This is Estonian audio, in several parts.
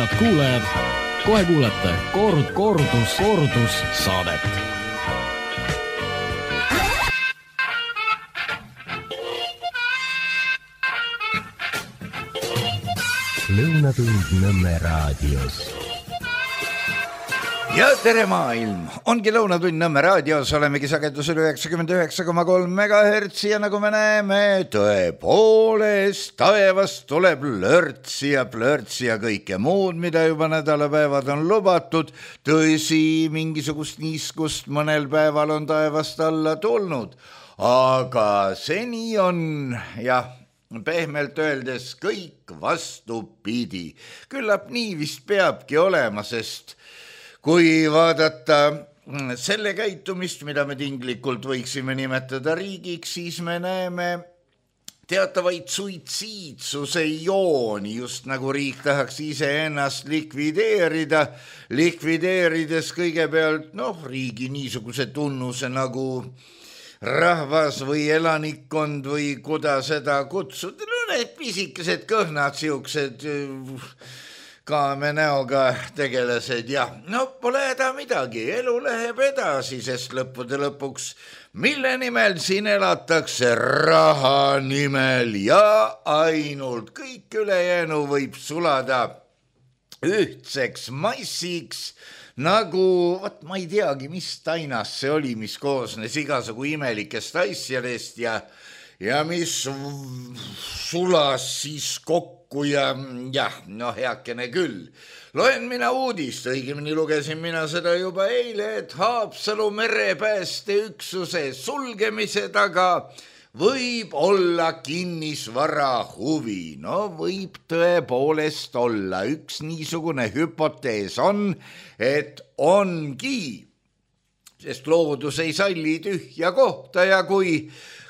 head kuulajad, kohe kuulete kordus saadet. Lõunatund Nõmme raadios. Ja tere maailm! Ongi Lõunatund Nõmme raadios, olemegi sagedusel 99,3 MHz ja nagu me näeme, tõepoolest taevast tuleb lörtsi ja plörtsi ja kõike muud, mida juba nädalapäevad on lubatud. Tõsi, mingisugust niiskust mõnel päeval on taevast alla tulnud, aga seni on, jah, pehmelt öeldes kõik vastupidi. Küllap nii vist peabki olema, sest kui vaadata selle käitumist, mida me tinglikult võiksime nimetada riigiks, siis me näeme teatavaid suitsiidsuse jooni, just nagu riik tahaks iseennast likvideerida, likvideerides kõigepealt riigi niisuguse tunnuse nagu rahvas või elanikkond või kuda seda kutsuda, need pisikesed kõhnad, siuksed kaame näoga tegelased ja pole häda midagi, elu läheb edasi, sest lõppude lõpuks, mille nimel siin elatakse, raha nimel ja ainult kõik ülejäänu võib sulada ühtseks massiks, nagu, ma ei teagi, mis tainas see oli, mis koosnes igasugu imelikest asjadest ja mis sulas siis kokku ja heakene küll. Loen mina uudist, õigemini lugesin mina seda juba eile, et Haapsalu merepäästeüksuse sulgemise taga võib olla kinnisvara huvi. Võib tõepoolest olla. Üks niisugune hüpotees on, et ongi, sest loodus ei salli tühja kohta ja kui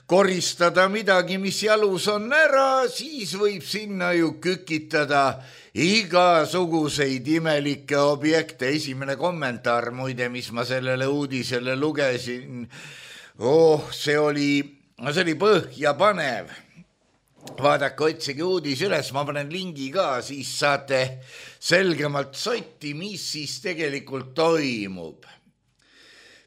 koristada midagi, mis jalus on ära, siis võib sinna ju kükitada igasuguseid imelikke objekte. Esimene kommentaar, muide, mis ma sellele uudisele lugesin, see oli põhjapanev. Vaadake, otsige uudis üles, ma panen lingi ka, siis saate selgemalt sotti, mis siis tegelikult toimub.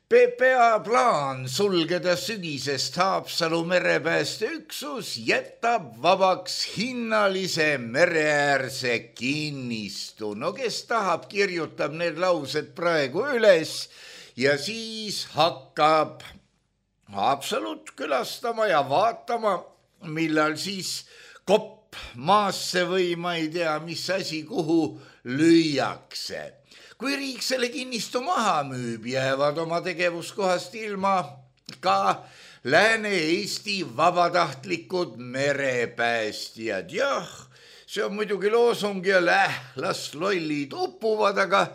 PPA plaan sulgeda sügisest Haapsalu merepäästeüksus jätab vabaks hinnalise mereäärse kinnistu. Kes tahab, kirjutab need laused praegu üles ja siis hakkab Haapsalut külastama ja vaatama, millal siis kopp maasse või ma ei tea, mis asi kuhu lüüakse. Kui riik selle kinnistu maha müüb, jäävad oma tegevuskohast ilma ka Lääne-Eesti vabatahtlikud merepäästjad. Jah, see on muidugi loosung ja las lollid upuvad, aga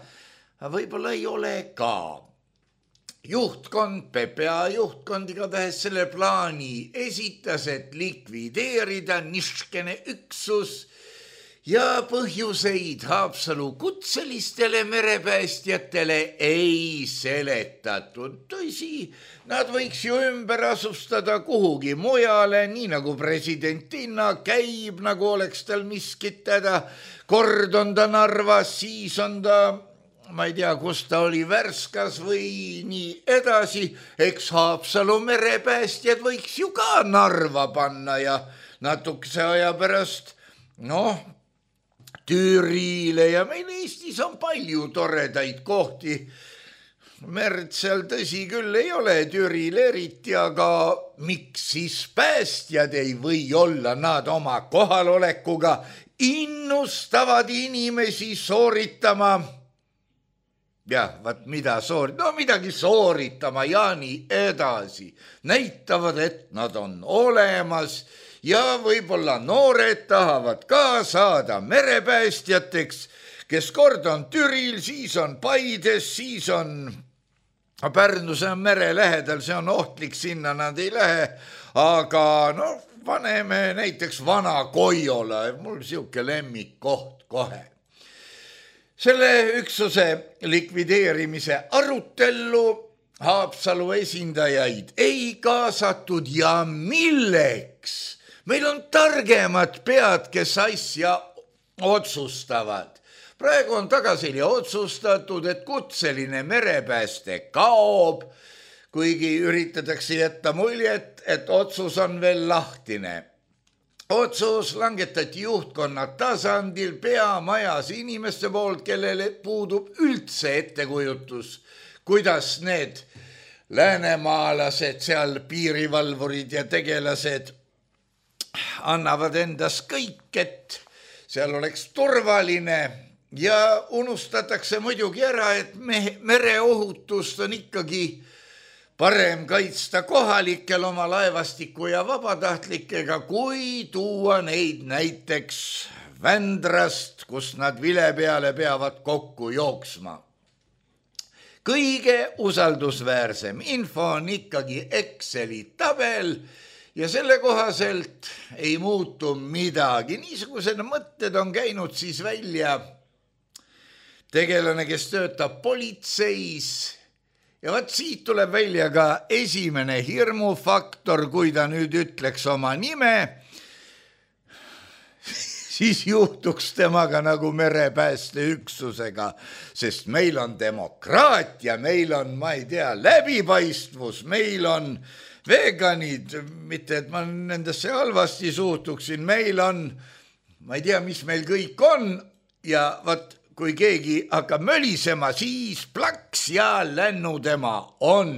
võib-olla ei ole ka. Juhtkond, PPA juhtkond igatahes selle plaani esitas, et likvideerida niškene üksus ja põhjuseid Haapsalu kutselistele merepäästjatele ei seletatud. Tõsi, nad võiks ju ümber asustada kuhugi mujale, nii nagu president Tinna käib, nagu oleks tal miskit teda. Kord on ta Narvas, siis on ta, ma ei tea, kus ta oli, Värskas või nii edasi. Eks Haapsalu merepäästjad võiks ju ka Narva panna ja natukese aja pärast, Türile ja meil Eestis on palju toredaid kohti. Merd seal tõsi küll ei ole, Türil eriti, aga miks siis päästjad ei või olla, nad oma kohalolekuga innustavad inimesi sooritama. Jah, mida midagi sooritama ja nii edasi. Näitavad, et nad on olemas ja võib-olla noored tahavad ka saada merepäästjateks, kes kord on Türil, siis on Paides, siis on Pärnu, see on mere lähedal, see on ohtlik, sinna nad ei lähe, aga paneme näiteks Vana-Koiola, mul siuke lemmikkoht kohe. Selle üksuse likvideerimise arutellu Haapsalu esindajaid ei kaasatud ja milleks? Meil on targemad pead, kes asja otsustavad. praegu on tagasili otsustatud, et kutseline merepääste kaob, kuigi üritatakse jätta muljet, et otsus on veel lahtine. Otsus langetati juhtkonna tasandil peamajas inimeste poolt, kellele puudub üldse ettekujutus, kuidas need läänemaalased, seal piirivalvurid ja tegelased annavad endas kõik, et seal oleks turvaline ja unustatakse muidugi ära, et mereohutust on ikkagi parem kaitsta kohalikel oma laevastiku ja vabatahtlikega, kui tuua neid näiteks Vändrast, kus nad vile peale peavad kokku jooksma. Kõige usaldusväärsem info on ikkagi Exceli tabel ja selle kohaselt ei muutu midagi. Niisugused mõtted on käinud siis välja tegelane, kes töötab politseis. Ja vaat siit tuleb välja ka esimene hirmufaktor, kui ta nüüd ütleks oma nime, siis juhtuks temaga nagu merepäästeüksusega, sest meil on demokraatia, meil on, ma ei tea, läbipaistvus, meil on veganid, mitte et ma nendesse halvasti suhtuksin, meil on, ma ei tea, mis meil kõik on ja vaat kui keegi hakkab mölisema, siis plaks ja lännu tema on,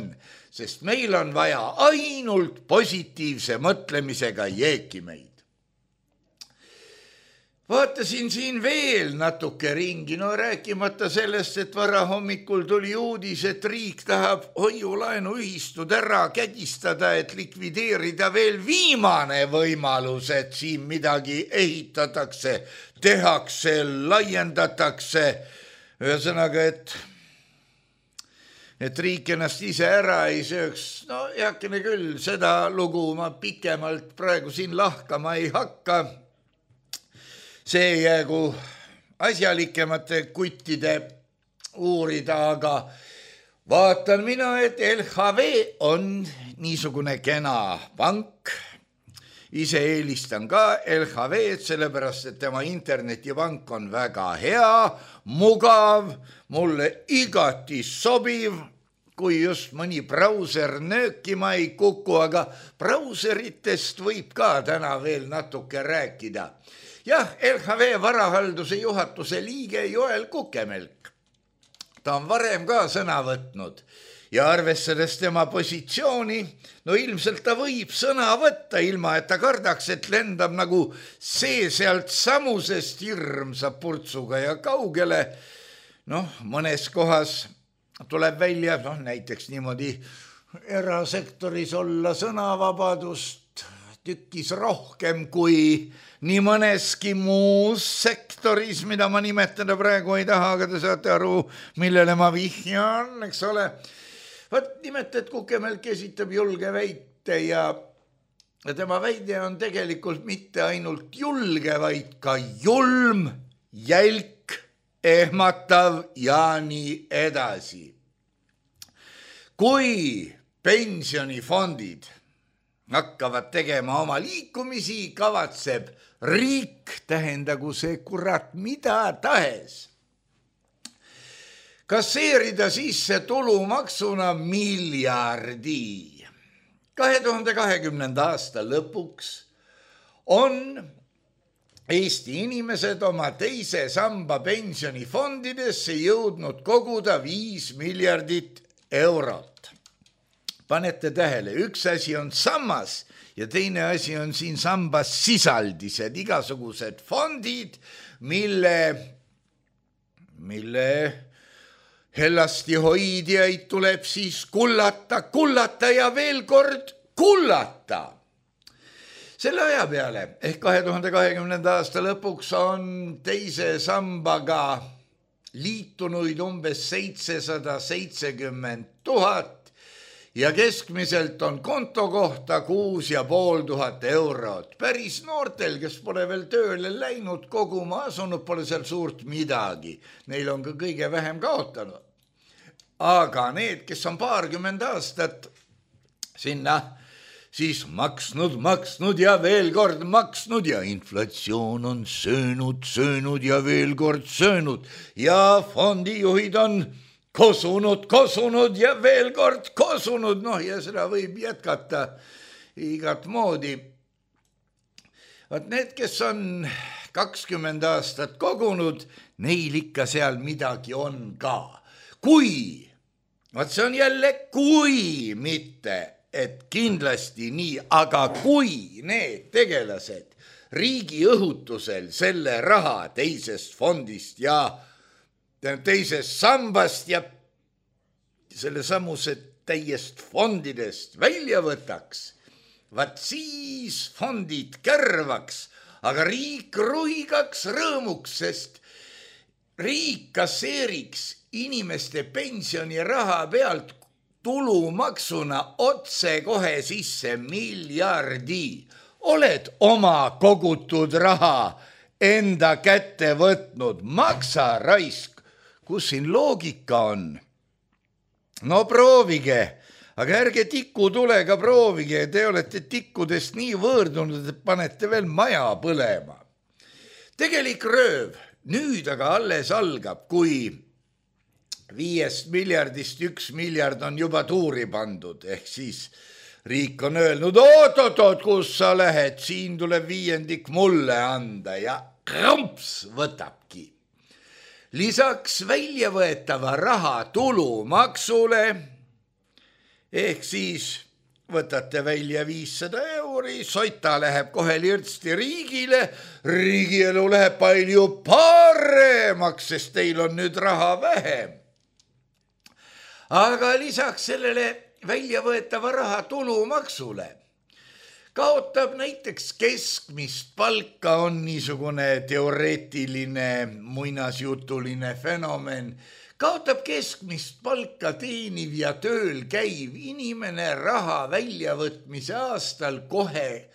sest meil on vaja ainult positiivse mõtlemisega jeekimeid. Vaatasin siin veel natuke ringi, no rääkimata sellest, et varahommikul tuli uudis, et riik tahab hoiulaenuühistud ära kägistada, et likvideerida veel viimane võimalus, et siin midagi ehitatakse, tehakse, laiendatakse. Ühesõnaga, et riik ennast ise ära ei sööks. No heakene küll, seda lugu ma pikemalt praegu siin lahkama ei hakka. See jäägu asjalikemate kuttide uurida, aga vaatan mina, et LHV on niisugune kena pank. Ise eelistan ka LHV-d, sellepärast, et tema internetipank on väga hea, mugav, mulle igati sobiv, kui just mõni brauser nöökima ei kuku, aga brauseritest võib ka täna veel natuke rääkida. Jah, LHV varahalduse juhatuse liige Joel Kukemelk. Ta on varem ka sõna võtnud ja arvestades tema positsiooni, no ilmselt ta võib sõna võtta ilma, et ta kardaks, et lendab nagu see sealt samusest hirmsa purtsuga ja kaugele. Mõnes kohas tuleb välja, näiteks niimoodi erasektoris olla sõnavabadust tükkis rohkem kui nii mõneski muus sektoris, mida ma nimetada praegu ei taha, aga te saate aru, millele ma vihjan, eks ole. Vaat nimelt, et Kukemelk esitab julge väite ja tema väide on tegelikult mitte ainult julge, vaid ka julm, jälk, ehmatav ja nii edasi. Kui pensionifondid hakkavad tegema oma liikumisi, kavatseb riik, tähendagu see kurat mida tahes, kasseerida sisse tulumaksuna miljardi. 2020. aasta lõpuks on Eesti inimesed oma teise samba pensionifondidesse jõudnud koguda 5 miljardit eurot. Panete tähele, üks asi on sammas ja teine asi on siin sambas sisaldised, igasugused fondid, mille hellasti hoidjaid tuleb siis kullata ja veel kord kullata. Selle aja peale ehk 2020. aasta lõpuks on teise sambaga liitunuid umbes 770 000 ja keskmiselt on konto kohta 6500 eurot. Päris noortel, kes pole veel tööle läinud, koguma asunud, pole seal suurt midagi. Neil on ka kõige vähem kaotanud. Aga need, kes on 20 aastat sinna siis maksnud ja veel kord maksnud ja inflatsioon on söönud ja veel kord söönud ja fondijuhid on kosunud ja veel kord kosunud, ja seda võib jätkata igat moodi. Vaat need, kes on 20 aastat kogunud, neil ikka seal midagi on ka. Vaat see on jälle kui mitte, et kindlasti nii, aga kui need tegelased riigi õhutusel selle raha teisest fondist ja teisest sambast ja selle samused täiest fondidest välja võtaks, vaat siis fondid kärvaks, aga riik ruigaks rõõmuks, sest riik kasseeriks inimeste pensioniraha pealt tulumaksuna otse kohe sisse miljardi. Oled oma kogutud raha enda kätte võtnud, maksa raisk. Kus siin loogika on? No proovige, aga ärge tikutulega proovige, te olete tikkudest nii võõrdunud, et panete veel maja põlema. Tegelik rööv nüüd aga alles algab, kui 5 miljardist 1 miljard on juba tuuri pandud, ehk siis riik on öelnud, oot, kus sa lähed, siin tuleb 5% mulle anda ja kramps võtabki. Lisaks väljavõetava raha tulumaksule, ehk siis võtate välja 500 euri, sota läheb kohe lirtsti riigile, riigielu läheb palju paremaks, sest teil on nüüd raha vähem. Aga lisaks sellele väljavõetava raha tulumaksule kaotab näiteks keskmist palka, on niisugune teoreetiline muinasjutuline fenomen, kaotab keskmist palka teeniv ja tööl käiv inimene raha väljavõtmise aastal kohe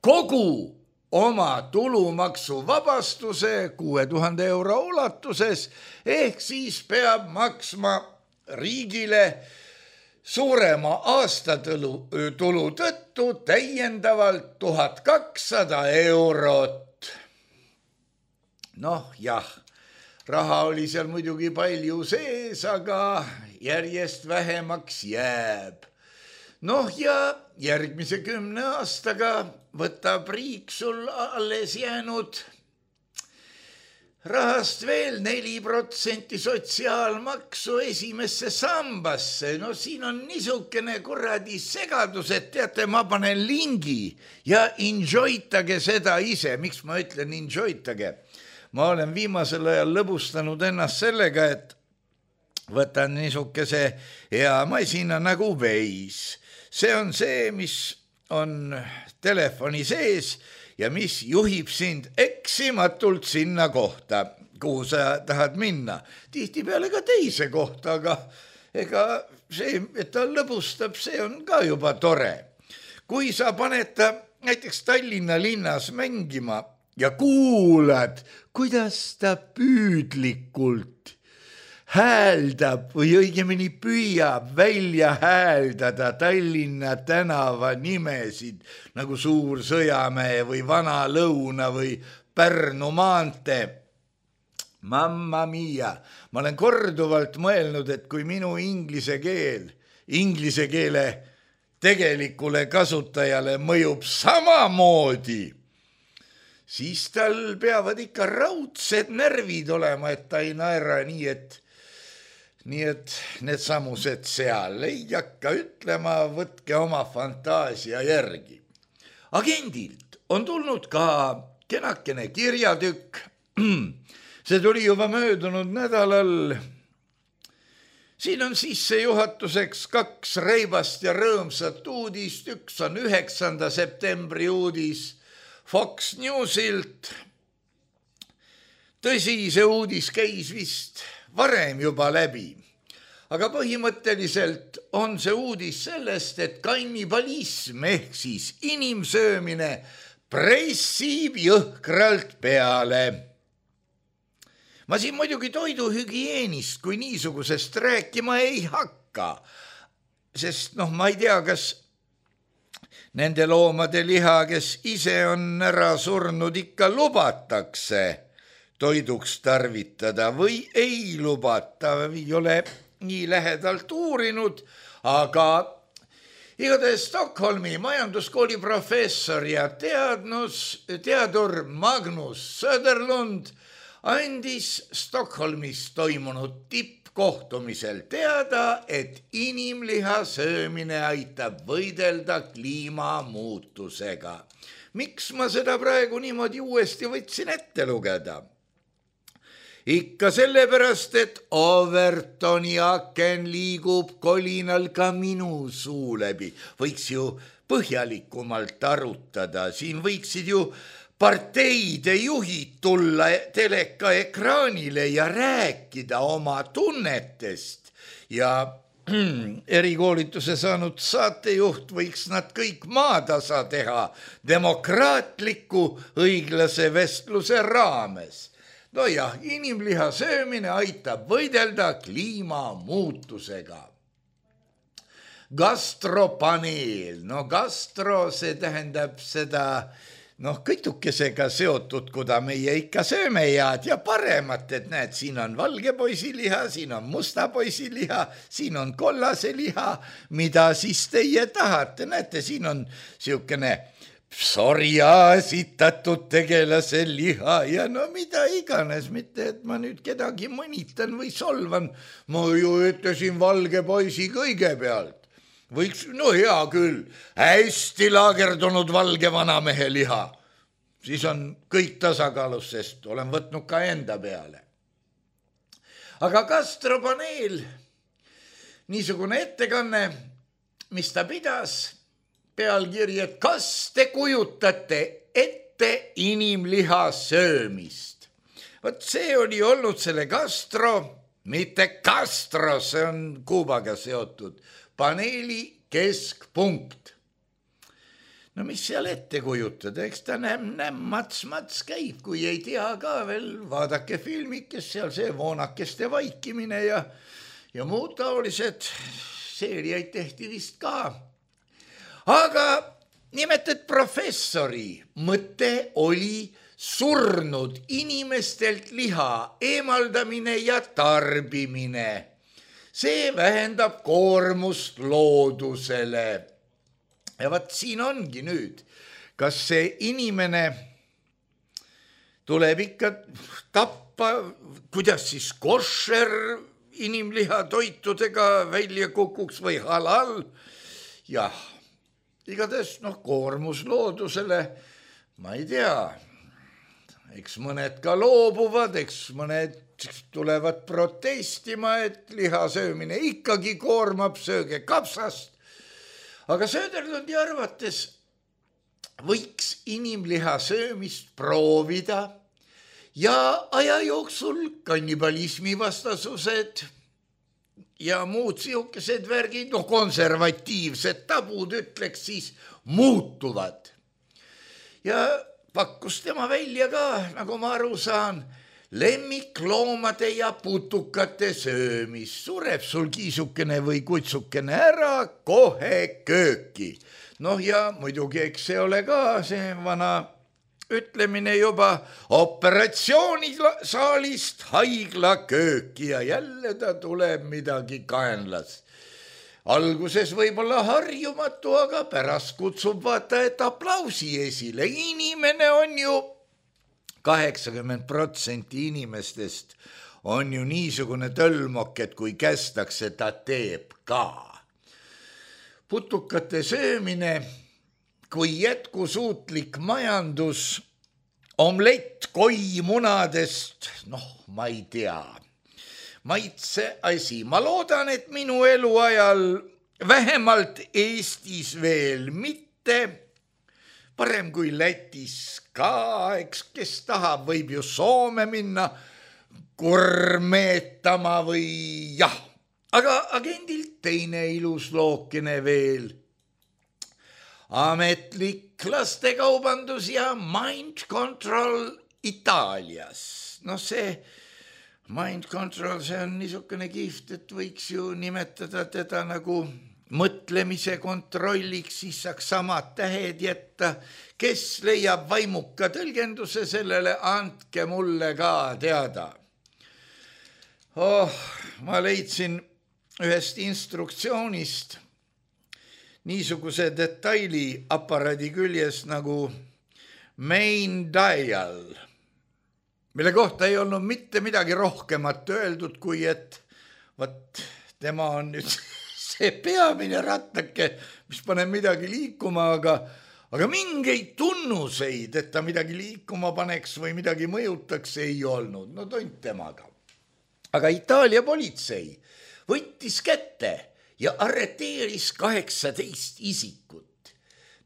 kogu oma tulumaksuvabastuse 6000 euro ulatuses, ehk siis peab maksma riigile suurema aastatulu tõttu täiendavalt 1200 eurot. Jah, raha oli seal muidugi palju sees, aga järjest vähemaks jääb. Ja järgmise 10 aastaga võtab riik sul alles jäänud rahast veel 4% sotsiaalmaksu esimesse sambasse. Siin on niisugune kuradi segadus, et teate, ma panen lingi ja enjoytage seda ise. Miks ma ütlen enjoytage? Ma olen viimasel ajal lõbustanud ennast sellega, et võtan niisuguse hea masina nagu Waze. See on see, mis on telefoni sees ja mis juhib sind eksimatult sinna kohta, kuhu sa tahad minna. Tihtipeale ka teise kohta, aga ega see, et ta lõbustab, see on ka juba tore. Kui sa paned ta näiteks Tallinna linnas mängima ja kuulad, kuidas ta püüdlikult hääldab või õigemini püüab välja hääldada Tallinna tänava nimesid nagu Suur Sõjamäe või Vana Lõuna või Pärnu maantee. Mamma mia, ma olen korduvalt mõelnud, et kui minu inglise keele tegelikule kasutajale mõjub samamoodi, siis tal peavad ikka raudsed närvid olema, et ta ei naera nii, et need samused seal ei hakka ütlema, võtke oma fantaasia järgi. Agendilt on tulnud ka kenakene kirjatükk. See tuli juba möödunud nädalal. Siin on sissejuhatuseks 2 reibast ja rõõmsat uudist. Üks on 9. septembri uudis Fox Newsilt. Tõsi, see uudis käis vist varem juba läbi. Aga põhimõtteliselt on see uudis sellest, et kannibalism ehk siis inimsöömine pressib jõhkralt peale. Ma siin muidugi toiduhügieenist kui niisugusest rääkima ei hakka, sest ma ei tea, kas nende loomade liha, kes ise on ära surnud, ikka lubatakse toiduks tarvitada või ei lubata, ei ole nii lähedalt uurinud, aga igatahes Stockholmi majanduskooli professor ja teadur Magnus Söderlund andis Stockholmis toimunud tippkohtumisel teada, et inimliha söömine aitab võidelda kliimamuutusega. Miks ma seda praegu niimoodi uuesti võtsin ette lugeda? Ikka sellepärast, et Overtoni aken liigub kolinal ka minu suu läbi. Võiks ju põhjalikumalt arutada, siin võiksid ju parteide juhid tulla teleka ekraanile ja rääkida oma tunnetest ja erikoolituse saanud saatejuht võiks nad kõik maatasa teha demokraatliku õiglase vestluse raames. No jah, inimliha söömine aitab võidelda kliimamuutusega. Gastropaneel, gastro, see tähendab seda kõtukesega seotud, kuda meie ikka sööme head ja paremat, et näed, siin on valge poisiliha, siin on musta poisiliha, siin on kollase liha, mida siis teie tahate, näete, siin on siukene psorja esitatud tegelase liha ja mida iganes, mitte et ma nüüd kedagi mõnitan või solvan, ma ju ütlesin valge poisi kõigepealt. Võiks, hea küll, hästi laagerdunud valge vanamehe liha. Siis on kõik tasakaalus, sest olen võtnud ka enda peale. Aga gastropaneel, niisugune ettekanne, mis ta pidas, pealkiri, et kas te kujutate ette inimliha söömist? Vot see oli olnud selle gastro, mitte Castro, see on Kuubaga seotud, paneeli keskpunkt. Mis seal ette kujutada, eks ta mats käib, kui ei tea ka veel, vaadake filmikest, seal see voonakeste vaikimine ja muud taolised seeriaid tehti vist ka. Aga nimetat professori mõte oli surnud inimestelt liha eemaldamine ja tarbimine. See vähendab koormust loodusele. Ja vaat siin ongi nüüd, kas see inimene tuleb ikka tappa, kuidas siis košer inimliha toitudega välja kukuks või halal? Jah. Igatahes, koormus loodusele, ma ei tea, eks mõned ka loobuvad, eks mõned tulevad protestima, et liha söömine ikkagi koormab, sööge kapsast. Aga Söderlundi arvates võiks inimliha söömist proovida ja aja jooksul kannibalismi vastasused ja muud siukesed värgid, konservatiivsed tabud, ütleks siis, muutuvad. Ja pakkus tema välja ka, nagu ma aru saan, lemmikloomade ja putukate söömist. Sureb sul kiisukene või kutsukene ära, kohe kööki. Ja muidugi, eks see ole ka see vana ütlemine juba operatsioonisaalist haigla kööki ja jälle ta tuleb midagi kaenlas. Alguses võib-olla harjumatu, aga pärast kutsub vaata, et aplausi esile. Inimene on ju 80% inimestest on ju niisugune tölmok, et kui kästakse, ta teeb ka. Putukate söömine kui jätkusuutlik majandus, omlett koimunadest, ma ei tea, maitse asi. Ma loodan, et minu eluajal vähemalt Eestis veel mitte, parem kui Lätis ka, eks kes tahab, võib ju Soome minna gurmeetama või jah. Aga agendilt teine ilus lookene veel. Ametlik lastekaubandus ja mind control Itaalias. See mind control, see on niisugune kihvt, et võiks ju nimetada teda nagu mõtlemise kontrolliks, siis saaks samad tähed jätta. Kes leiab vaimuka tõlgenduse sellele, andke mulle ka teada. Ma leidsin ühest instruktsioonist niisuguse detaili aparaadi küljes nagu main dial, mille kohta ei olnud mitte midagi rohkemat öeldud, kui et võt, tema on nüüd see peamine rattake, mis paneb midagi liikuma, aga mingeid tunnuseid, et ta midagi liikuma paneks või midagi mõjutaks, ei olnud. No tont temaga. Aga Itaalia politsei võttis kätte ja arreteeris 18 isikut.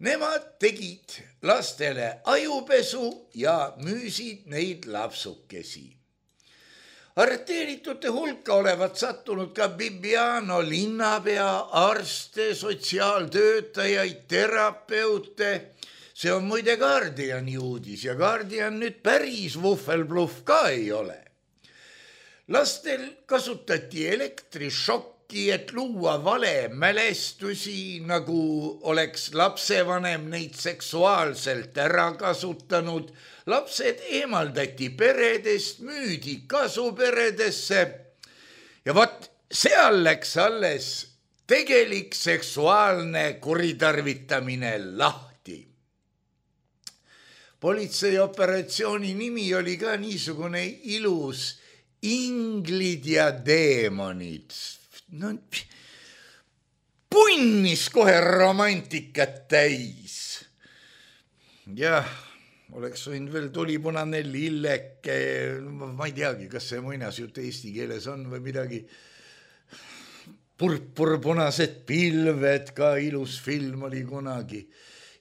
Nemad tegid lastele ajupesu ja müüsid neid lapsukesi. Arreteeritute hulka olevat sattunud ka Bibbiano linnapea, arste, sotsiaaltöötajaid, terapeute. See on muide Guardiani uudis ja Guardian nüüd päris vuhvelbluff ka ei ole. Lastel kasutati elektrišokki, et luua vale mälestusi, nagu oleks lapsevanem neid seksuaalselt ära kasutanud. Lapsed eemaldati peredest, müüdi kasuperedesse ja vot seal läks alles tegelik seksuaalne kuritarvitamine lahti. Politseioperatsiooni nimi oli ka niisugune ilus Inglid ja deemonid. No, punnis kohe romantikat täis. Jah, oleks võinud veel tulipunane lilleke, ma ei teagi, kas see muinasjutt eesti keeles on või midagi. Purpurpunased pilved, ka ilus film oli kunagi.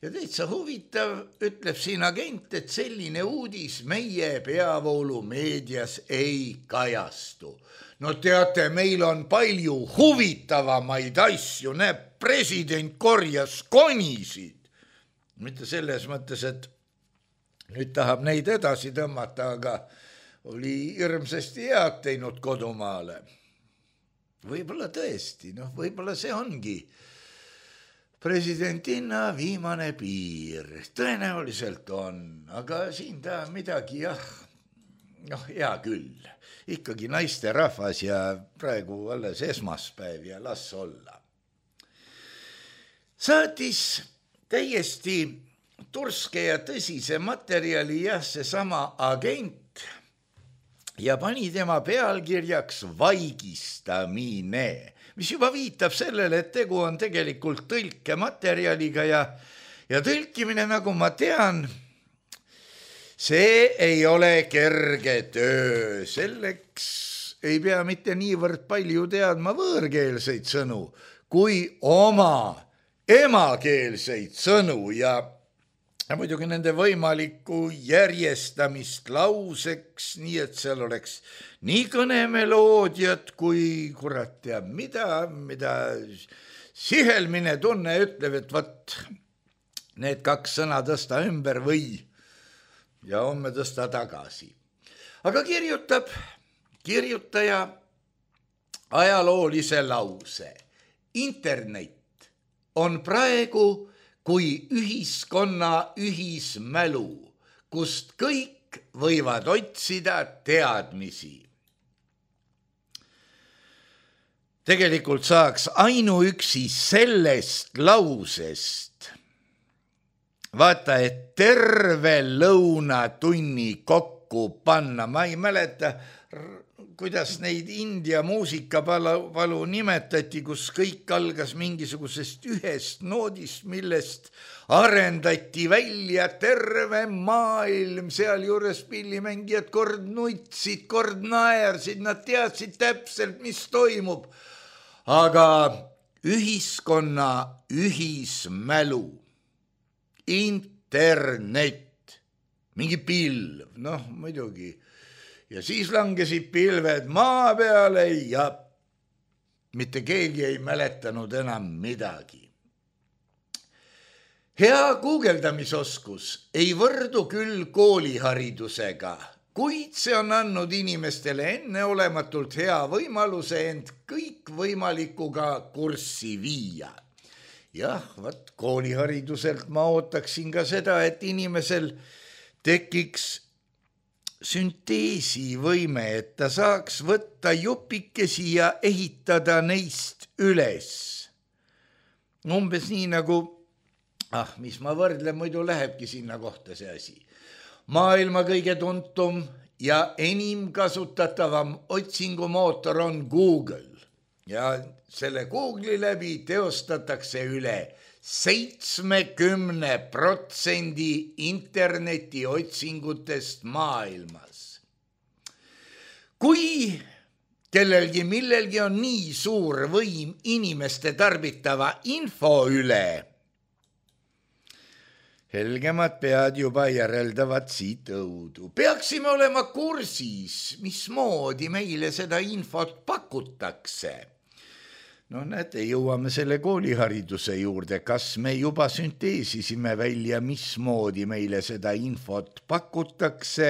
Ja täitsa huvitav, ütleb siin agent, et selline uudis meie peavoolumeedias ei kajastu. No teate, meil on palju huvitavamaid asju, näeb, president korjas konisid. Mitte selles mõttes, et nüüd tahab neid edasi tõmmata, aga oli hirmsasti head teinud kodumaale. Võib-olla tõesti, võib-olla see ongi presidentina viimane piir. Tõenäoliselt on, aga siin ta midagi, hea küll. Ikkagi naiste rahvas ja praegu alles esmaspäev ja las olla. Saatis täiesti turske ja tõsise materjali seesama agent ja pani tema pealkirjaks vaigistamine, mis juba viitab sellele, et tegu on tegelikult tõlkematerjaliga ja tõlkimine, nagu ma tean, see ei ole kerge töö. Selleks ei pea mitte niivõrd palju teadma võõrkeelseid sõnu, kui oma emakeelseid sõnu ja muidugi nende võimalikku järjestamist lauseks, nii et seal oleks nii kõnemeloodiat kui kurat teab mida sihelmine tunne ütleb, et võt, need 2 sõna tõsta ümber või ja homme tõsta tagasi. Aga kirjutab kirjutaja ajaloolise lause. Internet on praegu kui ühiskonna ühismälu, kust kõik võivad otsida teadmisi. Tegelikult saaks ainuüksi sellest lausest vaata, et terve lõunatunni kokku panna. Ma ei mäleta, kuidas neid India muusikapalu nimetati, kus kõik algas mingisugusest ühest noodist, millest arendati välja terve maailm, seal juures pillimängijad kord nutsid, kord naersid, nad teadsid täpselt, mis toimub. Aga ühiskonna ühismälu, internet, mingi pilv, muidugi. Ja siis langesid pilved maa peale ja mitte keegi ei mäletanud enam midagi. Hea guugeldamisoskus ei võrdu küll kooliharidusega, kuid see on andnud inimestele enneolematult hea võimaluse end kõikvõimalikuga kurssi viia. Jah, koolihariduselt ma ootaksin ka seda, et inimesel tekiks sünteesivõime, et ta saaks võtta jupikesi ja ehitada neist üles. Umbes nii nagu, mis ma võrdlen, muidu lähebki sinna kohta see asi. Maailma kõige tuntum ja enim kasutatavam otsingumootor on Google ja selle Google'i läbi teostatakse üle 70% interneti otsingutest maailmas. Kui kellelgi millelgi on nii suur võim inimeste tarbitava info üle, helgemad pead juba järeldavad siit õudu. Peaksime olema kursis, mismoodi meile seda infot pakutakse. Näete, jõuame selle koolihariduse juurde, kas me juba sünteesisime välja, mismoodi meile seda infot pakutakse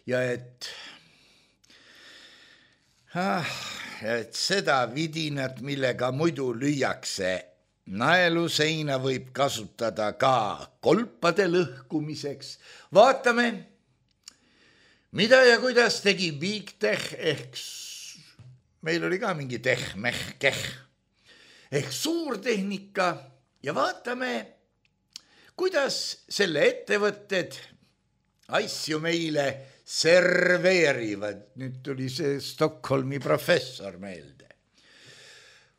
ja et seda vidinat, millega muidu lüüakse naelu seina, võib kasutada ka kolpade lõhkumiseks. Vaatame, mida ja kuidas tegi Big Tech ehk meil oli ka mingi tehmehkeh ehk suurtehnika ja vaatame, kuidas selle ettevõtted asju meile serveerivad. Nüüd tuli see Stockholmi professor meelde.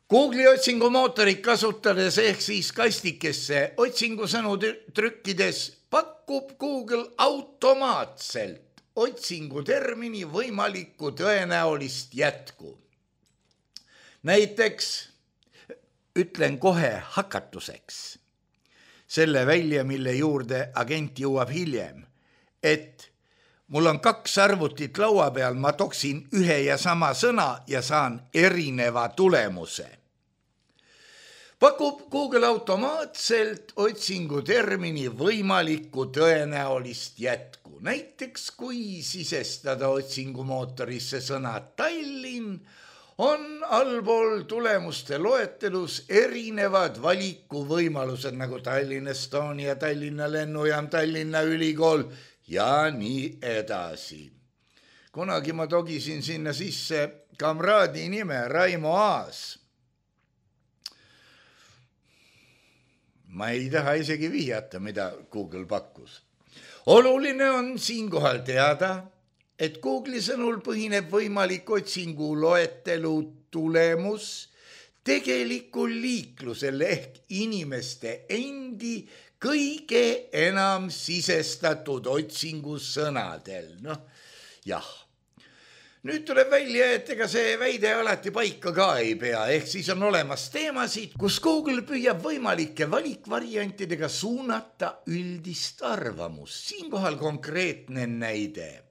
Google'i otsingumootorit kasutades ehk siis kastikesse otsingusõnu trükkides pakub Google automaatselt otsingutermini võimalikku tõenäolist jätku. Näiteks ütlen kohe hakatuseks selle välja, mille juurde agent jõuab hiljem, et mul on 2 arvutit laua peal, ma toksin ühe ja sama sõna ja saan erineva tulemuse. Pakub Google automaatselt otsingutermini võimalikku tõenäolist jätku. Näiteks kui sisestada otsingumootorisse sõna Tallinn, on allpool tulemuste loetelus erinevad valikuvõimalused nagu Tallinna Estonia, Tallinna lennujaam, Tallinna ülikool ja nii edasi. Kunagi ma togisin sinna sisse kamraadi nime Raimo Aas. Ma ei taha isegi vihjata, mida Google pakkus. Oluline on siinkohal teada, et Google'i sõnul põhineb võimalik otsingu loetelu tulemus tegelikul liiklusel ehk inimeste endi kõige enam sisestatud otsingusõnadel. Jah. Nüüd tuleb välja, et ega see väide alati paika ka ei pea, ehk siis on olemas teemasid, kus Google püüab võimalike valikvariantidega suunata üldist arvamust. Siinkohal konkreetne näide.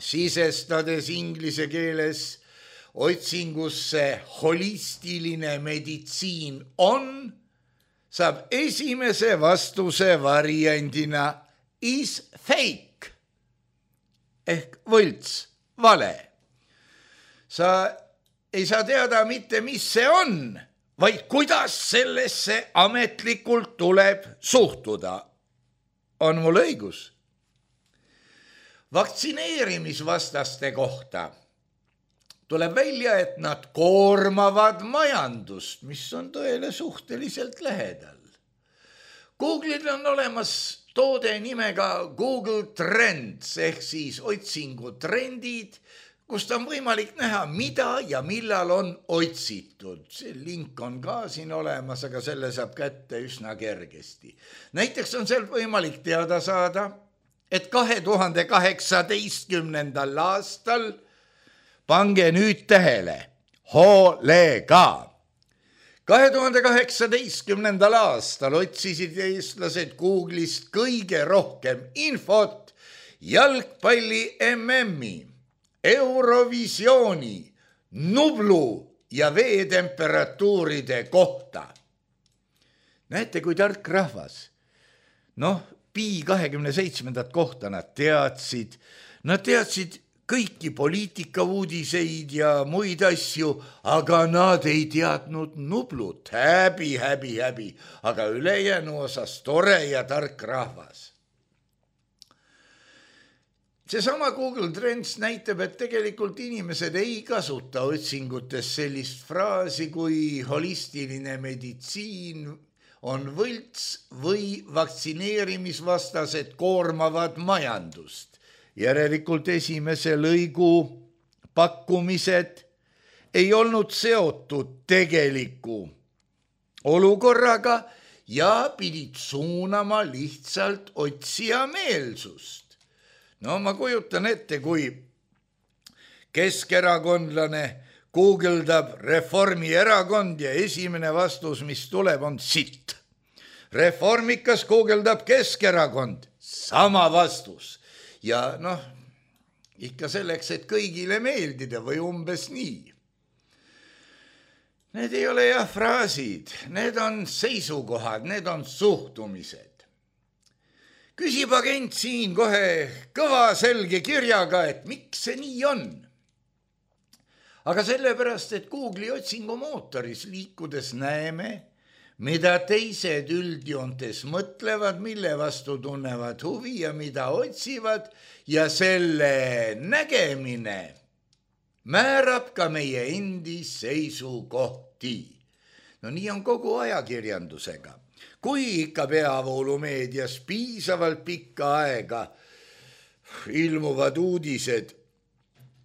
Sisestades inglise keeles otsingusse holistiline meditsiin saab esimese vastuse variandina is fake ehk võlts, vale. Sa ei saa teada mitte, mis see on, vaid kuidas sellesse ametlikult tuleb suhtuda. On mul õigus? Vaktsineerimisvastaste kohta tuleb välja, et nad koormavad majandust, mis on tõele suhteliselt lähedal. Google'il on olemas toode nimega Google Trends ehk siis otsingutrendid, kust on võimalik näha, mida ja millal on otsitud. See link on ka siin olemas, aga selle saab kätte üsna kergesti. Näiteks on seal võimalik teada saada, et 2018. aastal, pange nüüd tähele, hoolega. 2018. aastal otsisid eestlased Google'ist kõige rohkem infot jalgpalli MM-i, Eurovisiooni, Nublu ja veetemperatuuride kohta. Näete, kui tark rahvas. Pi 27. kohta nad teadsid kõiki poliitikauudiseid ja muid asju, aga nad ei teadnud Nublut, häbi, aga ülejäänu osas tore ja tark rahvas. Seesama Google Trends näitab, et tegelikult inimesed ei kasuta otsingutes sellist fraasi kui holistiline meditsiin on võlts või vaktsineerimisvastased koormavad majandust. Järelikult esimese lõigu pakkumised ei olnud seotud tegeliku olukorraga ja pidid suunama lihtsalt otsija meelsust. No ma kujutan ette, kui keskerakondlane guugeldab Reformierakond ja esimene vastus, mis tuleb, on sitt. Reformikas guugeldab Keskerakond, sama vastus. Ja ikka selleks, et kõigile meeldida või umbes nii. Need ei ole fraasid, need on seisukohad, need on suhtumised. Küsib agent siin kohe kõva selge kirjaga, et miks see nii on. Aga sellepärast, et Google'i otsingumootoris liikudes näeme, mida teised üldjoontes mõtlevad, mille vastu tunnevad huvi ja mida otsivad ja selle nägemine määrab ka meie endi seisukohti. No nii on kogu ajakirjandusega. Kui ikka peavoolumeedias piisavalt pikka aega ilmuvad uudised,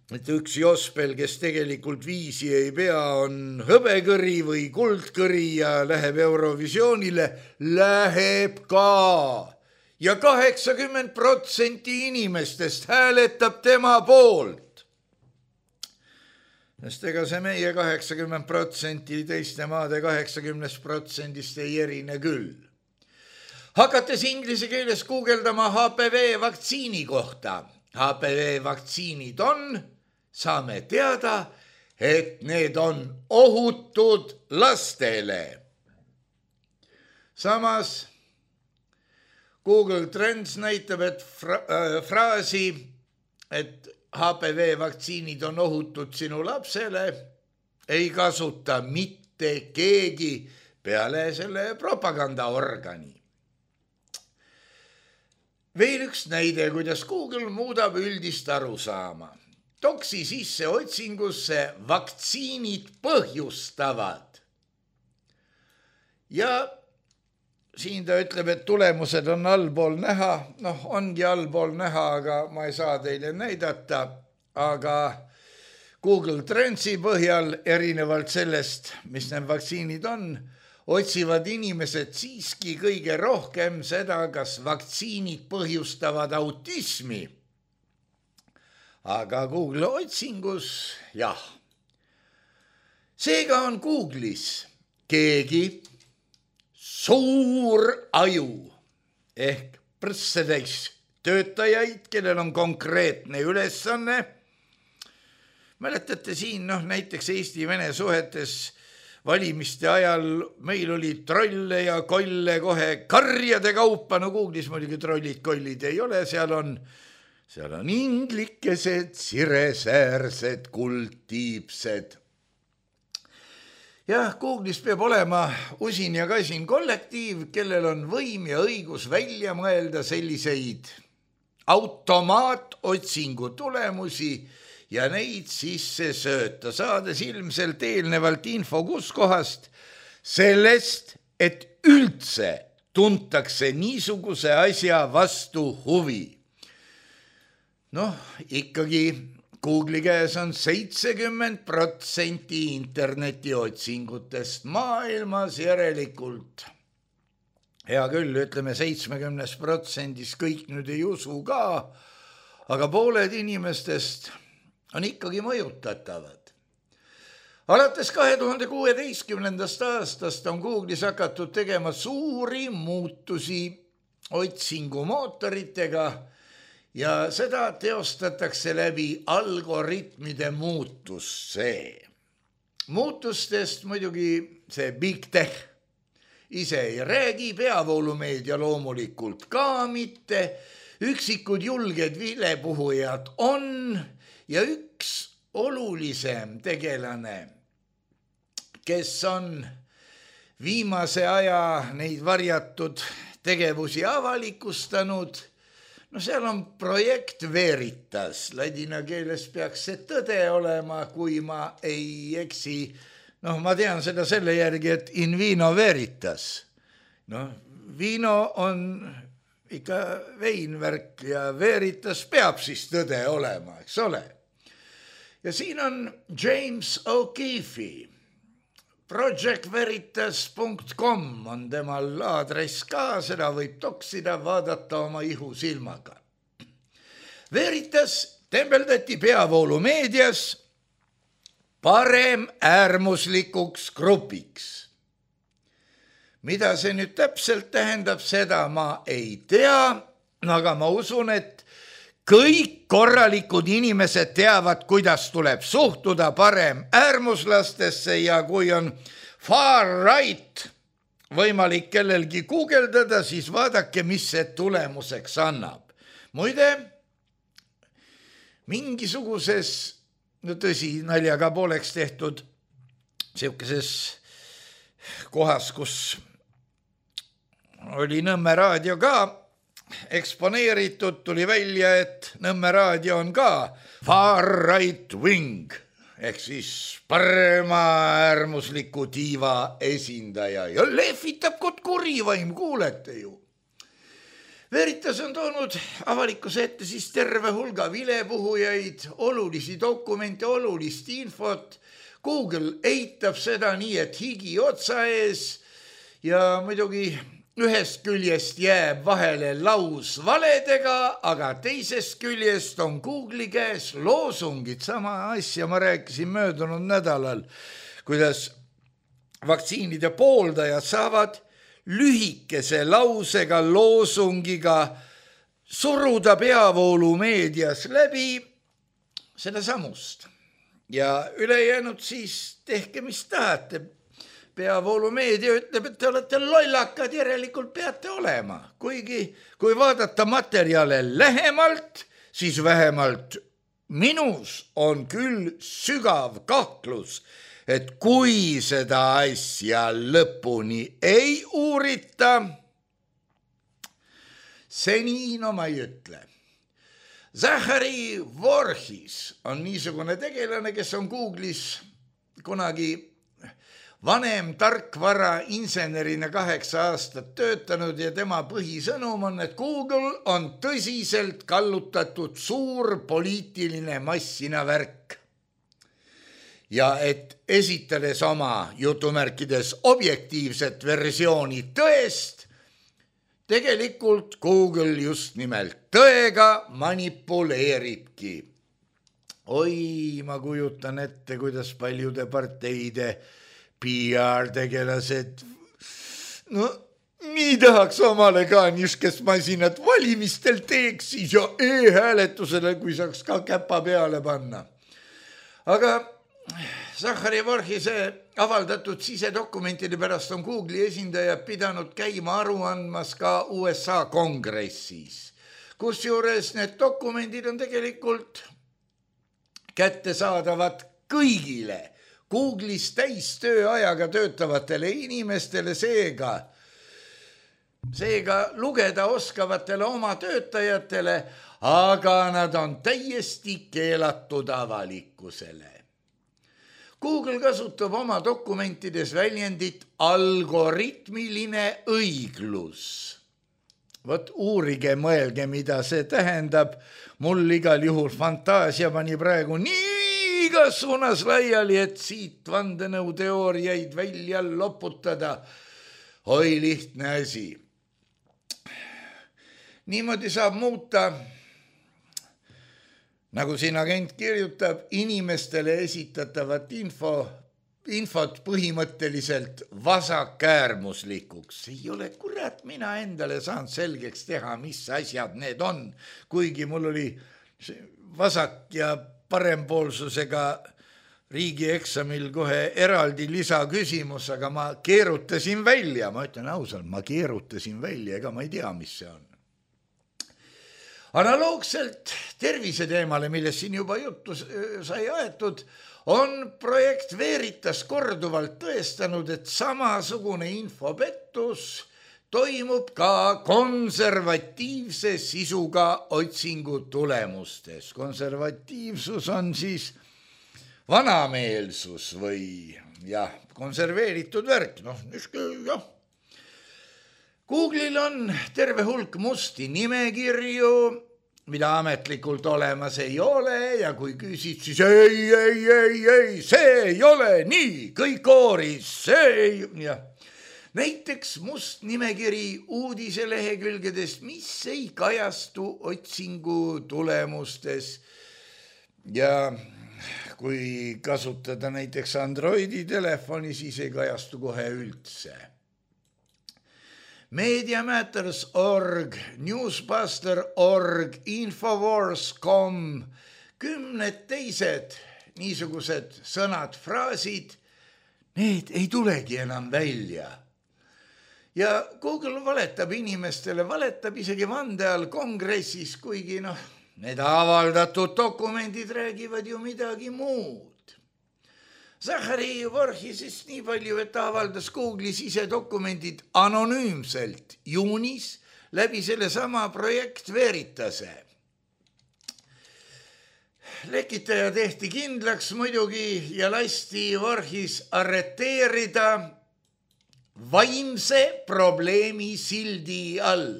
et üks jospel, kes tegelikult viisi ei pea, on hõbekõri või kuldkõri ja läheb Eurovisioonile, läheb ka. Ja 80% inimestest hääletab tema poolt. Sest ega see meie 80% teiste maade 80% ei erine küll. Hakates inglise keeles guugeldama HPV vaktsiini kohta. HPV vaktsiinid on, saame teada, et need on ohutud lastele. Samas Google Trends näitab, et fraasi, et HPV vaktsiinid on ohutud sinu lapsele, ei kasuta mitte keegi peale selle propagandaorgani. Veel üks näide, kuidas Google muudab üldist arusaama. Toksi sisse otsingusse vaktsiinid põhjustavad. Ja siin ta ütleb, et tulemused on allpool näha. Ongi allpool näha, aga ma ei saa teile näidata. Aga Google Trendsi põhjal, erinevalt sellest, mis need vaktsiinid on, otsivad inimesed siiski kõige rohkem seda, kas vaktsiinid põhjustavad autismi. Aga Google otsingus, jah. Seega on Google'is keegi suur aju ehk prõssetäis töötajaid, kellel on konkreetne ülesanne. Mäletate siin näiteks Eesti-Vene suhetes valimiste ajal meil oli trolle ja kolle kohe karjade kaupa. Google'is muidugi trollid, kollid ei ole, seal on inglikesed, siresäärsed, kuldtiipsed. Jah, Google'is peab olema usin ja kasin kollektiiv, kellel on võim ja õigus välja mõelda selliseid automaatotsingu tulemusi ja neid sisse sööta, saades ilmselt eelnevalt info kuskohast sellest, et üldse tuntakse niisuguse asja vastu huvi. Ikkagi Google'i käes on 70% internetiotsingutest maailmas, järelikult. Hea küll, ütleme 70% kõik nüüd ei usu ka, aga pooled inimestest on ikkagi mõjutatavad. Alates 2016. aastast on Google'is hakatud tegema suuri muutusi otsingumootoritega ja seda teostatakse läbi algoritmide muutuse. Muutustest muidugi see Big Tech ise ei räägi, peavoolumeedia loomulikult ka mitte, üksikud julged vilepuhujad on ja üks olulisem tegelane, kes on viimase aja neid varjatud tegevusi avalikustanud, no seal on projekt Veritas, ladina keeles peaks see tõde olema, kui ma ei eksi. Ma tean seda selle järgi, et in vino veritas. Vino on ikka veinvärk ja Veritas peab siis tõde olema, eks ole. Ja siin on James O'Keefe. projectveritas.com on temal aadress ka, seda võib toksida, vaadata oma ihusilmaga. Veritas tembeldati peavoolumeedias parem äärmuslikuks grupiks. Mida see nüüd täpselt tähendab, seda ma ei tea, aga ma usun, et kõik korralikud inimesed teavad, kuidas tuleb suhtuda parem äärmuslastesse ja kui on far right võimalik kellelgi guugeldada, siis vaadake, mis see tulemuseks annab. Muide, mingisuguses, tõsi, naljaga pooleks tehtud sellises kohas, kus oli Nõmme raadio ka eksponeeritud, tuli välja, et Nõmme raadio on ka far right wing ehk siis parema äärmusliku tiiva esindaja ja lehvitab kod kurivaim, kuulete ju. Veritas on toonud avalikkuse ette siis terve hulga vilepuhujaid, olulisi dokumente, olulist infot. Google eitab seda nii, et higi otsa ees ja muidugi ühest küljest jääb vahele laus valedega, aga teisest küljest on Google'i käes loosungid. Sama asja ma rääkisin möödunud nädalal, kuidas vaktsiinide pooldajad saavad lühikese lausega, loosungiga suruda peavoolumeedias läbi seda samust. Ja ülejäänud siis tehke, mis tahate. Peavoolumeedia ütleb, et te olete lollakad, järelikult peate olema. Kuigi, kui vaadata materjale lähemalt, siis vähemalt minus on küll sügav kahtlus, et kui seda asja lõpuni ei uurita, seni ma ei ütle. Zachary Voorhis on niisugune tegelane, kes on Google'is kunagi vanem tarkvara insenerina 8 aastat töötanud ja tema põhisõnum on, et Google on tõsiselt kallutatud suur poliitiline massina värk. Ja et esitades oma jutumärkides objektiivset versiooni tõest, tegelikult Google just nimelt tõega manipuleeribki. Oi, ma kujutan ette, kuidas paljude parteide PR-tegelased, nii tahaks omale ka niisugust masinat valimistel teeks siis ja e-hääletusele, kui saaks ka käpa peale panna. Aga Zachary Voorhise avaldatud sisedokumentide pärast on Google'i esindajad pidanud käima aru andmas ka USA kongressis, kusjuures need dokumendid on tegelikult kättesaadavad kõigile Google'is täistööajaga töötavatele inimestele, seega lugeda oskavatele oma töötajatele, aga nad on täiesti keelatud avalikkusele. Google kasutab oma dokumentides väljendit algoritmiline õiglus. Vot uurige, mõelge, mida see tähendab. Mul igal juhul fantaasia pani praegu nii igas suunas laiali, et siit vandenõuteooriaid välja loputada. Oi, lihtne asi. Niimoodi saab muuta, nagu siin agent kirjutab, inimestele esitatavat infot põhimõtteliselt vasakäärmuslikuks. Ei ole kurat mina endale saanud selgeks teha, mis asjad need on, kuigi mul oli vasak ja parempoolsusega riigieksamil kohe eraldi lisaküsimus, aga ma keerutasin välja, ma ütlen ausalt, ma keerutasin välja, ega ma ei tea, mis see on. Analoogselt terviseteemale, millest siin juba juttu sai aetud, on projekt Veritas korduvalt tõestanud, et samasugune infopettus toimub ka konservatiivse sisuga otsingu tulemustes. Konservatiivsus on siis vanameelsus või konserveeritud värk. Google'il on terve hulk musti nimekirju, mida ametlikult olemas ei ole ja kui küsid, siis ei, see ei ole nii, kõik kooris, see ei... Näiteks must nimekiri uudiselehekülgedest, mis ei kajastu otsingu tulemustes ja kui kasutada näiteks Androidi telefoni, siis ei kajastu kohe üldse. Mediamatters.org, Newsbuster.org, Infowars.com, 10 teised niisugused sõnad, fraasid, need ei tulegi enam välja. Ja Google valetab inimestele, valetab isegi vande all kongressis, kuigi need avaldatud dokumendid räägivad ju midagi muud. Zachary Vorhisest nii palju, et ta avaldas Google'is ise dokumendid anonüümselt juunis läbi selle sama projekt Veritase. Lekitaja tehti kindlaks muidugi ja lasti Vorhis arreteerida vaimse probleemi sildi all.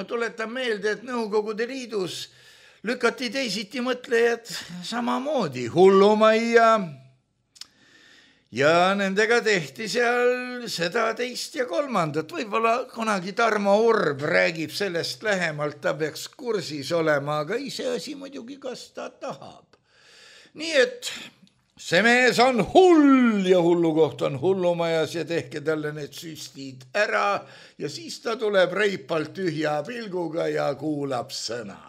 Tuletan meelde, et Nõukogude Liidus lükati teisiti mõtlejad samamoodi hullumajja ja nendega tehti seal seda, teist ja kolmandat. Võib-olla kunagi Tarmo Urb räägib sellest lähemalt, ta peaks kursis olema, aga iseasi muidugi, kas ta tahab. Nii et see mees on hull ja hullukoht on hullumajas ja tehke talle need süstid ära ja siis ta tuleb reipalt tühja pilguga ja kuulab sõna.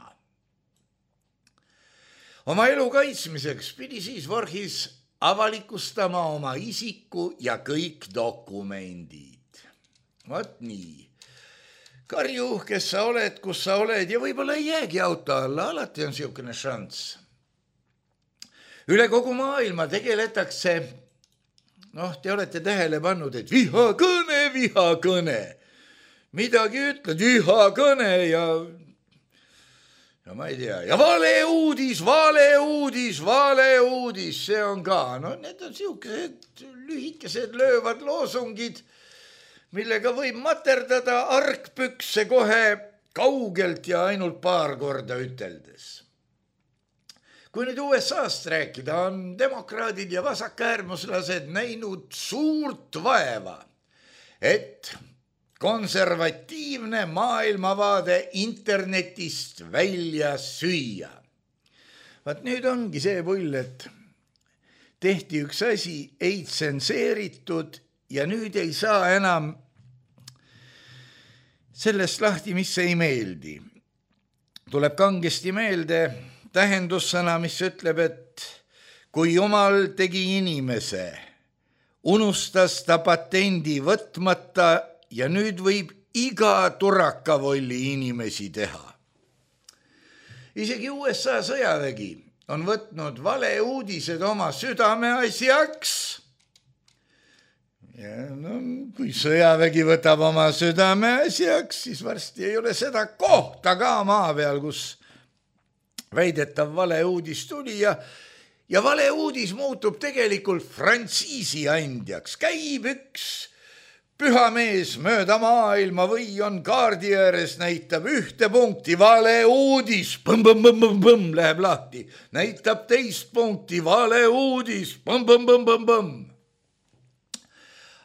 Oma elu kaitsmiseks pidi siis Vorhis avalikustama oma isiku ja kõik dokumendid. Vot nii. Karju, kes sa oled, kus sa oled ja võib-olla ei jäägi auto alla, alati on siukene šanss. Üle kogu maailma tegeletakse, te olete tähele pannud, et vihakõne. Midagi ütled, vihakõne ja ma ei tea, ja valeuudis, see on ka, need on siukesed lühikesed löövad loosungid, millega võib materdada argpükse kohe kaugelt ja ainult paar korda üteldes. Kui nüüd USA-st rääkida, on demokraadid ja vasakäärmuslased näinud suurt vaeva, et konservatiivne maailmavaade internetist välja süüa. Vaat nüüd ongi see pull, et tehti üks asi, ei tsenseeritud ja nüüd ei saa enam sellest lahti, mis ei meeldi. Tuleb kangesti meelde tähendussõna, mis ütleb, et kui Jumal tegi inimese, unustas ta patendi võtmata ja nüüd võib iga turakavolli inimesi teha. Isegi USA sõjavägi on võtnud valeuudised oma südameasjaks. Ja kui sõjavägi võtab oma südameasjaks, siis varsti ei ole seda kohta ka maa peal, kus väidetav valeuudis tuli ja valeuudis muutub tegelikult frantsiisi andjaks. Käib üks pühamees mööda maailma või on kaardi ääres, näitab ühte punkti, valeuudis, läheb lahti. Näitab teist punkti, valeuudis,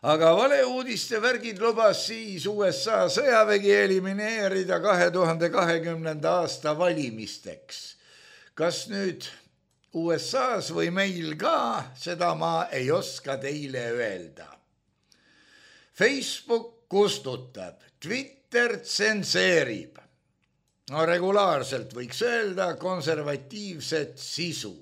Aga valeuudiste värgid lubas siis USA sõjavägi elimineerida 2020. aasta valimisteks. Kas nüüd USAs või meil ka, seda ma ei oska teile öelda. Facebook kustutab, Twitter tsenseerib. Regulaarselt võiks öelda konservatiivset sisu.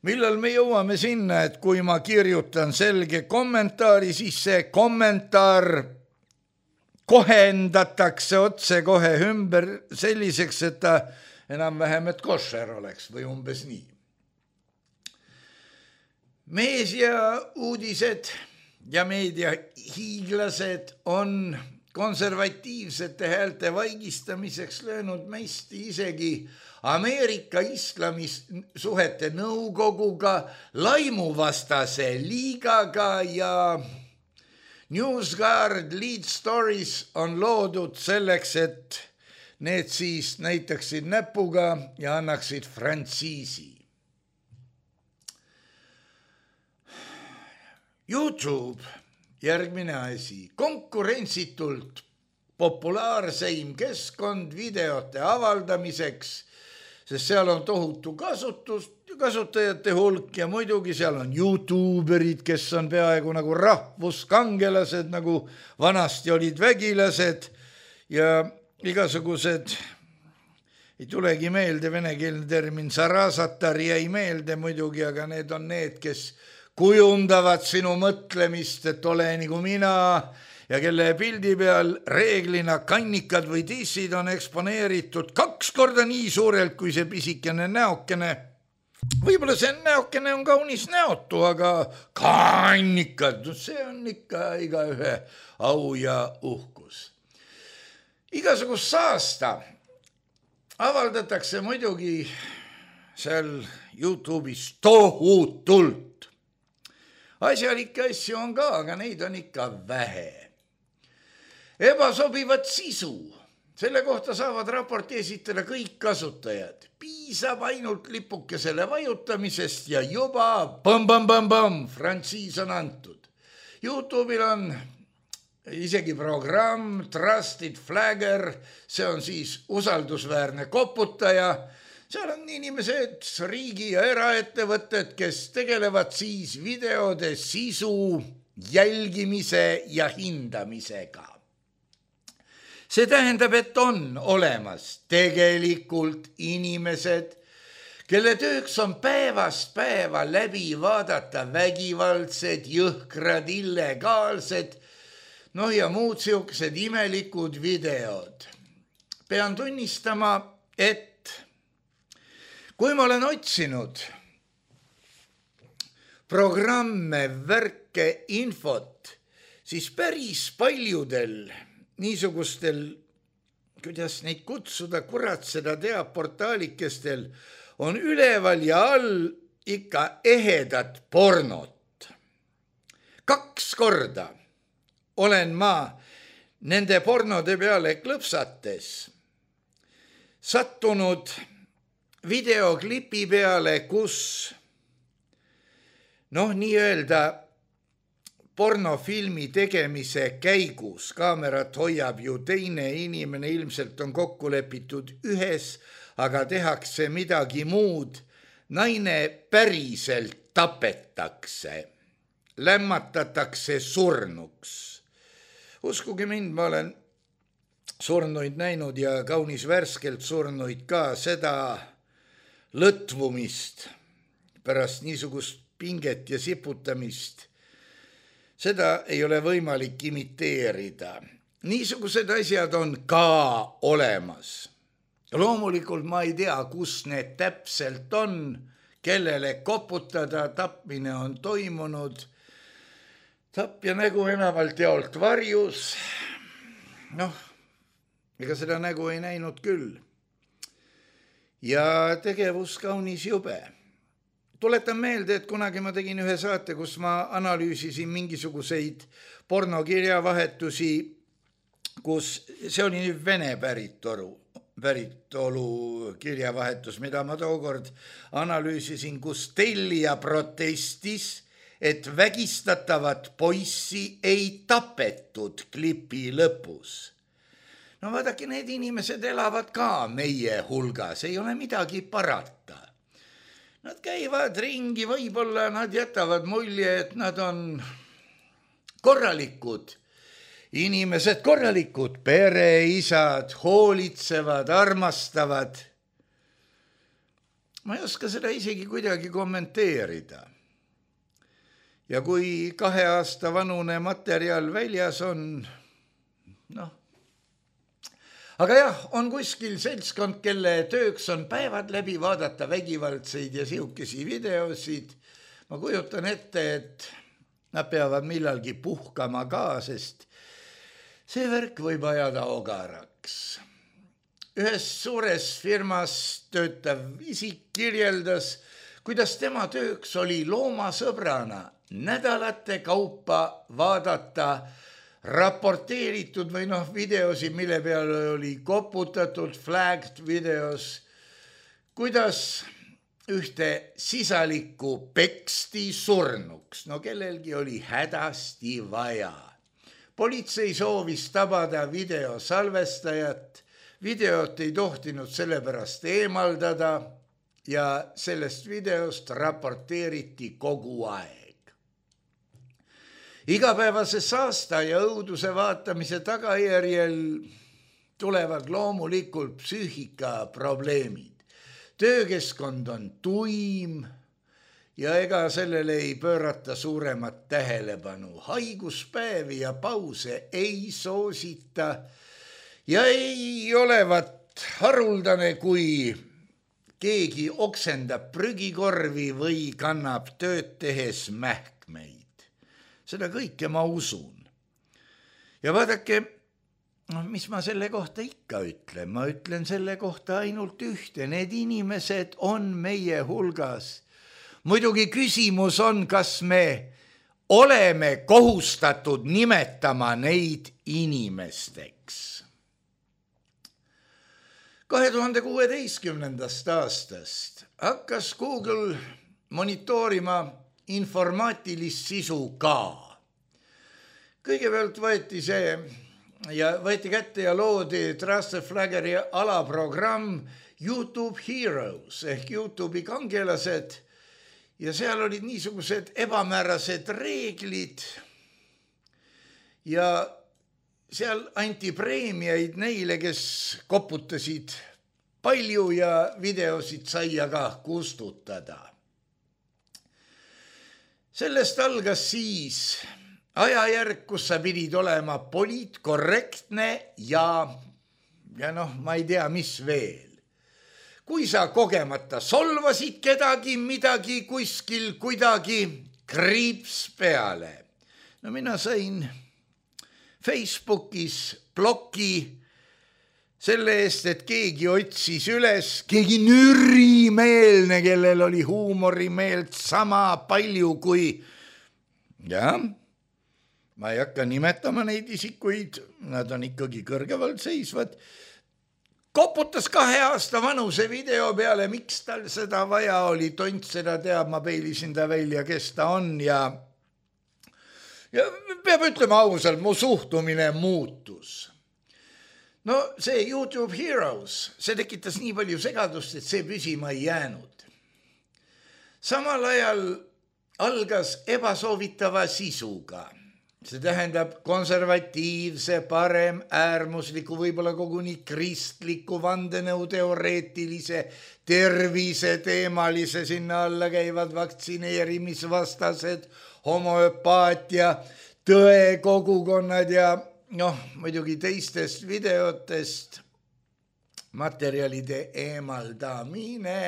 millal me jõuame sinna, et kui ma kirjutan selge kommentaari, siis see kommentaar kohendatakse otsekohe ümber selliseks, et ta enam-vähem, et košer oleks või umbes nii. Meediauudised ja meediahiiglased on konservatiivsete häälte vaigistamiseks löönud meisti isegi Ameerika islamisuhete nõukoguga, laimuvastase liigaga ja NewsGuard Lead Stories on loodud selleks, et need siis näitaksid näpuga ja annaksid frantsiisi. YouTube, järgmine asi, konkurentsitult populaarseim keskkond videote avaldamiseks, sest seal on tohutu kasutajate hulk ja muidugi seal on YouTuberid, kes on peaaegu nagu rahvuskangelased, nagu vanasti olid vägilased ja igasugused, ei tulegi meelde venekeelne termin, sarasatar jäi meelde muidugi, aga need on need, kes kujundavad sinu mõtlemist, et ole nagu mina ja kelle pildi peal reeglina kannikad või tissid on eksponeeritud 2 korda nii suurelt kui see pisikene näokene. Võib-olla see näokene on kaunis näotu, aga kannikad, see on ikka igaühe au ja uhkus. Igasugust saasta avaldatakse muidugi seal YouTube'is tohutult. Asjalikke asju on ka, aga neid on ikka vähe. Ebasobivat sisu. Selle kohta saavad raporti esitada kõik kasutajad. Piisab ainult lipukesele vajutamisest ja juba frantsiis on antud. YouTube'il on isegi programm Trusted Flagger, see on siis usaldusväärne koputaja. Seal on inimesed, riigi ja eraettevõtted, kes tegelevad siis videode sisu jälgimise ja hindamisega. See tähendab, et on olemas tegelikult inimesed, kelle tööks on päevast päeva läbi vaadata vägivaldsed, jõhkrad, illegaalsed, ja muud siuksed imelikud videod. Pean tunnistama, et kui ma olen otsinud programme, värke, infot, siis päris paljudel niisugustel, kuidas neid kutsuda, kurat seda teab, portaalikestel on üleval ja all ikka ehedad pornot. 2 korda olen ma nende pornode peale klõpsates sattunud videoklipi peale, kus nii-öelda pornofilmi tegemise käigus kaamerat hoiab ju teine inimene, ilmselt on kokku lepitud ühes, aga tehakse midagi muud. Naine päriselt tapetakse, lämmatatakse surnuks. Uskuge mind, ma olen surnuid näinud ja kaunis värskelt surnuid ka, seda lõtvumist pärast niisugust pinget ja siputamist. Seda ei ole võimalik imiteerida. Niisugused asjad on ka olemas. Loomulikult ma ei tea, kus need täpselt on, kellele koputada, tapmine on toimunud. Tapja nägu enamalt jaolt varjus. Ega seda nägu ei näinud küll. Ja tegevus kaunis jube. Tuletan meelde, et kunagi ma tegin ühe saate, kus ma analüüsisin mingisuguseid pornokirjavahetusi, kus see oli nüüd Vene päritolu kirjavahetus, mida ma tookord analüüsisin, kus tellija protestis, et vägistatavat poissi ei tapetud klipi lõpus. Vaadake, need inimesed elavad ka meie hulgas, ei ole midagi parata. Nad käivad ringi, võib-olla nad jätavad mulje, et nad on korralikud inimesed, korralikud pereisad, hoolitsevad, armastavad. ma ei oska seda isegi kuidagi kommenteerida. Ja kui 2 aasta vanune materjal väljas on, aga jah, on kuskil seltskond, kelle tööks on päevad läbi vaadata vägivaldseid ja sihukesi videosid. Ma kujutan ette, et nad peavad millalgi puhkama ka, sest see värk võib ajada ogaraks. Ühes suures firmas töötav isik kirjeldas, kuidas tema tööks oli loomasõbrana nädalate kaupa vaadata raporteeritud või videosid, mille peale oli koputatud flagged videos, kuidas ühte sisalikku peksti surnuks, kellelgi oli hädasti vaja. Politsei soovis tabada videosalvestajat, videot ei tohtinud sellepärast eemaldada ja sellest videost raporteeriti kogu aeg. Igapäevase saasta ja õuduse vaatamise tagajärjel tulevad loomulikult psüühikaprobleemid. Töökeskkond on tuim ja ega sellele ei pöörata suuremat tähelepanu. Haiguspäevi ja pause ei soosita ja ei olevat haruldane, kui keegi oksendab prügikorvi või kannab tööd tehes mähkmeid. Seda kõike ma usun. Ja vaadake, mis ma selle kohta ikka ütlen? Ma ütlen selle kohta ainult ühte. Need inimesed on meie hulgas. Muidugi küsimus on, kas me oleme kohustatud nimetama neid inimesteks. 2016. aastast hakkas Google monitoorima informaatilist sisu ka. Kõigepealt võeti kätte ja loodi Trusted Flaggeri alaprogramm YouTube Heroes ehk YouTube'i kangelased ja seal olid niisugused ebamäärased reeglid ja seal anti preemiaid neile, kes koputasid palju ja videosid sai aga kustutada. Sellest algas siis ajajärk, kus sa pidid olema poliitkorrektne ja ma ei tea, mis veel. Kui sa kogemata solvasid kedagi, midagi kuskil kuidagi kriips peale. Mina sain Facebookis bloki selle eest, et keegi otsis üles, keegi nürimeelne, kellel oli huumorimeelt sama palju kui, ma ei hakka nimetama neid isikuid, nad on ikkagi kõrgevalt seisvad, koputas 2 aasta vanuse video peale, miks tal seda vaja oli, tont seda teab, ma peilisin ta välja, kes ta on ja peab ütlema ausalt, mu suhtumine muutus. See YouTube Heroes, see tekitas nii palju segadust, et see püsima ei jäänud. Samal ajal algas ebasoovitava sisuga. See tähendab konservatiivse, parem, äärmusliku, võib-olla koguni kristliku, vandenõuteoreetilise, terviseteemalise, sinna alla käivad vaktsineerimisvastased, homoöpaatia, tõekogukonnad ja muidugi teistest videotest materjalide eemaldamine,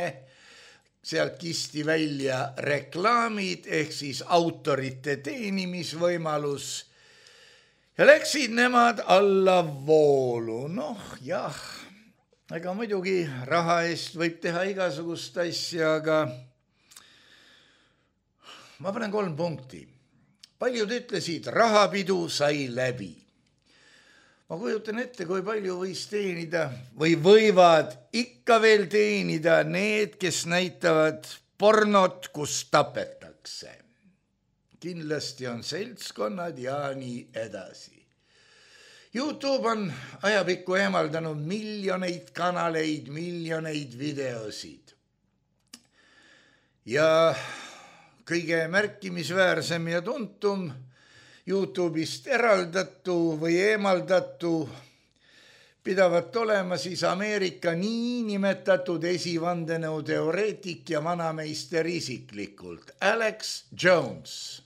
sealt kisti välja reklaamid ehk siis autorite teenimisvõimalus ja läksid nemad allavoolu. Ega muidugi raha eest võib teha igasugust asja, aga ma panen 3 punkti. Paljud ütlesid, rahapidu sai läbi. Ma kujutan ette, kui palju võis teenida või võivad ikka veel teenida need, kes näitavad pornot, kus tapetakse. Kindlasti on seltskonnad ja nii edasi. YouTube on ajapikku eemaldanud miljoneid kanaleid, miljoneid videosid. Ja kõige märkimisväärsem ja tuntum YouTube'ist eraldatu või eemaldatu pidavat olema siis Ameerika niinimetatud esivandenõuteoreetik ja vanameister isiklikult, Alex Jones.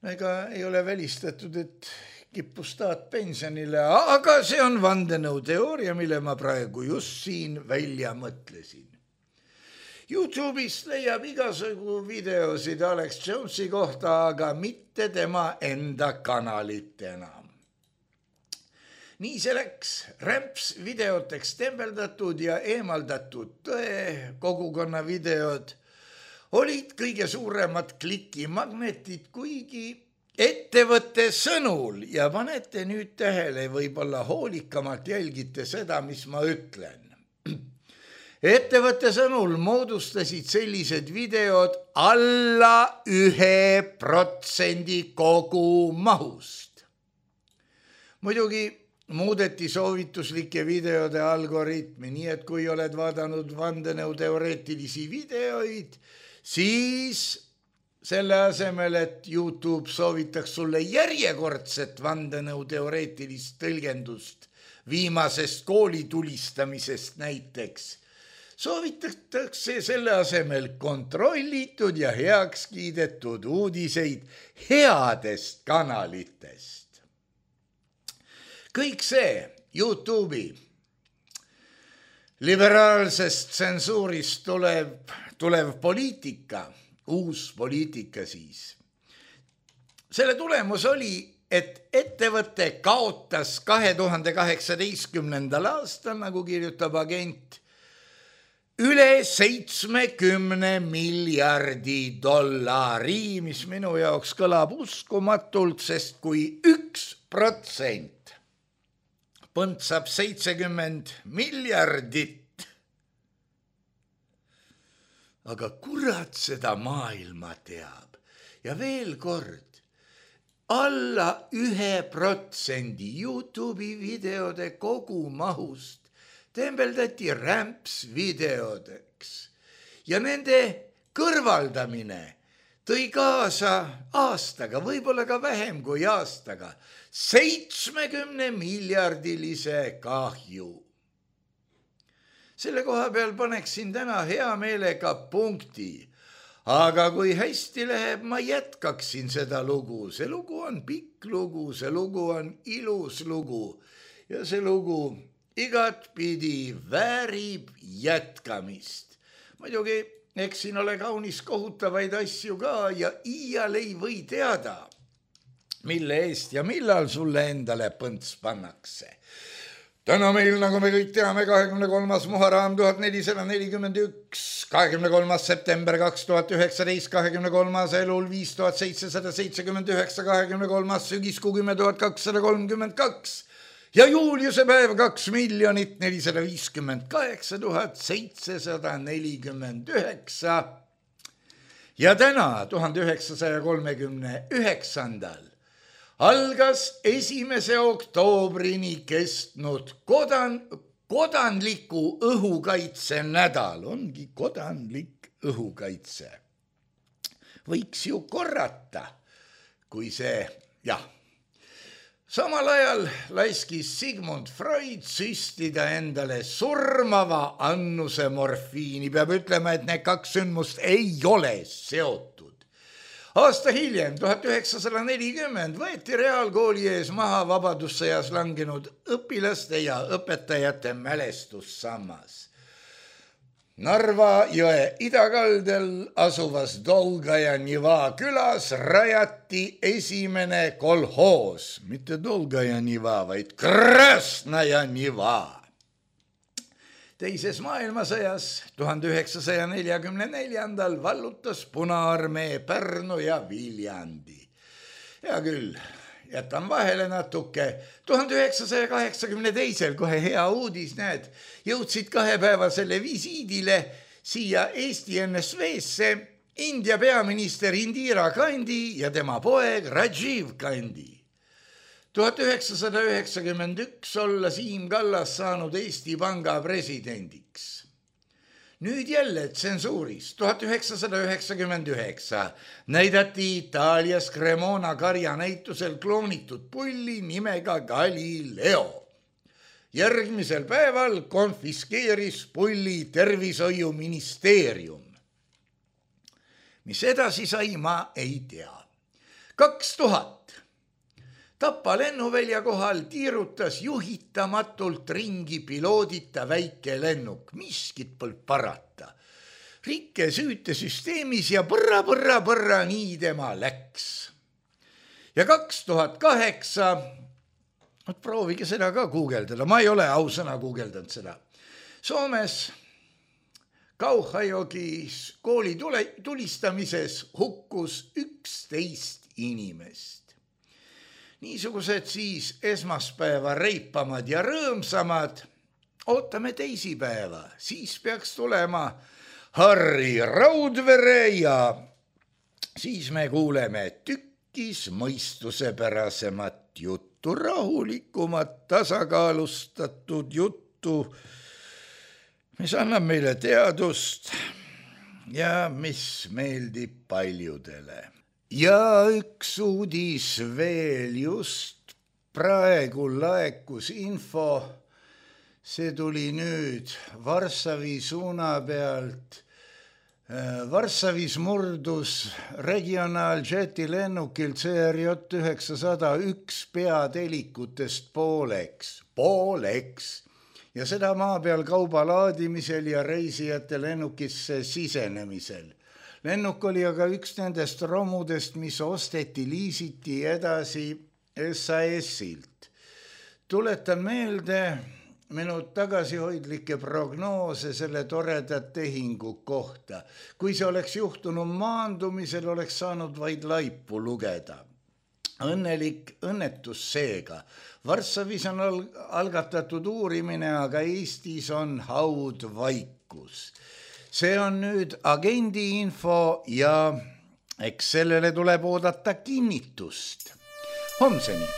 Ega ei ole välistatud, et kippus taat pensionile, aga see on vandenõuteooria, mille ma praegu just siin välja mõtlesin. YouTube'ist leiab igasugu videosid Alex Jonesi kohta, aga mitte tema enda kanalit enam. Nii see läks, rämps videoteks tembeldatud ja eemaldatud tõe kogukonna videod olid kõige suuremad klikimagnetid, kuigi ettevõtte sõnul, ja panete nüüd tähele, võib-olla hoolikamalt jälgite seda, mis ma ütlen. Ettevõtte sõnul moodustasid sellised videod alla 1% kogu mahust. Muidugi muudeti soovituslike videode algoritmi, nii et kui oled vaadanud vandenõuteoreetilisi videoid, siis selle asemel, et YouTube soovitaks sulle järjekordset vandenõuteoreetilist tõlgendust viimasest koolitulistamisest näiteks, soovitatakse selle asemel kontrollitud ja heaks kiidetud uudiseid headest kanalitest. Kõik see YouTube'i liberaalsest tsensuurist tulev poliitika, uus poliitika siis. Selle tulemus oli, et ettevõte kaotas 2018. aastal, nagu kirjutab agent, üle 70 miljardi dollari, mis minu jaoks kõlab uskumatult, sest kui 1% põntsab 70 miljardit, aga kurat seda maailma teab. Ja veel kord, alla 1% YouTube'i videode kogumahust tembeldati rämps videodeks ja nende kõrvaldamine tõi kaasa aastaga, võib-olla ka vähem kui aastaga, 70 miljardilise kahju. Selle koha peal paneksin täna hea meelega punkti, aga kui hästi läheb, ma jätkaksin seda lugu. See lugu on pikk lugu, see lugu on ilus lugu ja see lugu igatpidi väärib jätkamist. Muidugi, eks siin ole kaunis kohutavaid asju ka ja iial ei või teada, mille eest ja millal sulle endale põnts pannakse. Täna meil, nagu me kõik teame, 23. Muharram 1441, 23. september 2019, 23. elul 5779, 23. sügiskuu 10.232 ja Juliuse päev 2,458,749 ja täna 1939. algas 1. oktoobrini kestnud kodanliku õhukaitse nädal, ongi kodanlik õhukaitse. Võiks ju korrata, kui see, jah. Samal ajal laiskis Sigmund Freud süstida endale surmava annuse morfiini. Peab ütlema, et need kaks sündmust ei ole seotud. Aasta hiljem, 1940, võeti reaalkooli ees maha vabadussõjas langenud õpilaste ja õpetajate mälestussammas. Narva jõe idakaldel asuvas Dolgaja Niva külas rajati esimene kolhoos, mitte Dolgaja Niva, vaid Krasnaja Niva. Teises maailmasõjas 1944. vallutas Punaarmee Pärnu ja Viljandi. Hea küll, jätan vahele natuke. 1982. kohe hea uudis, näed, jõudsid 2-päevasele visiidile siia Eesti NSV-sse India peaminister Indira Gandhi ja tema poeg Rajiv Gandhi. 1991 olla Siim Kallas saanud Eesti Panga presidendiks. Nüüd jälle tsensuuris 1999 näidati Itaalias Cremona karjanäitusel kloonitud pulli nimega Galileo. Järgmisel päeval konfiskeeris pulli tervishoiuministeerium. Mis edasi sai, ma ei tea. 2000. Tapa lennuvälja kohal tiirutas juhitamatult ringi piloodita väike lennuk. Miskit pole parata. Rikke süütesüsteemis ja põrra, nii tema läks. Ja 2008, proovige seda ka guugeldada, ma ei ole ausõna guugeldanud seda. Soomes Kauhajogis kooli tulistamises hukkus 11 inimest. Niisugused siis esmaspäeva reipamad ja rõõmsamad. Ootame teisipäeva, siis peaks tulema Harri Raudvere ja siis me kuuleme tükkis mõistusepärasemat juttu, rahulikumat, tasakaalustatud juttu, mis annab meile teadust ja mis meeldib paljudele. Ja üks uudis veel, just praegu laekus info, see tuli nüüd Varssavi suuna pealt. Varssavis murdus regionaaljeti lennukilt CRJ-901 peatelikutest pooleks ja seda maa peal kauba laadimisel ja reisijate lennukisse sisenemisel. Lennuk oli aga üks nendest romudest, mis osteti, liisiti edasi SAS-ilt. Tuletan meelde minu tagasihoidlikke prognoose selle toreda tehingu kohta. Kui see oleks juhtunud maandumisel, oleks saanud vaid laipu lugeda. Õnnelik õnnetus seega. Varssavis on algatatud uurimine, aga Eestis on haudvaikus. See on nüüd agendi info ja eks sellele tuleb oodata kinnitust. Homseni!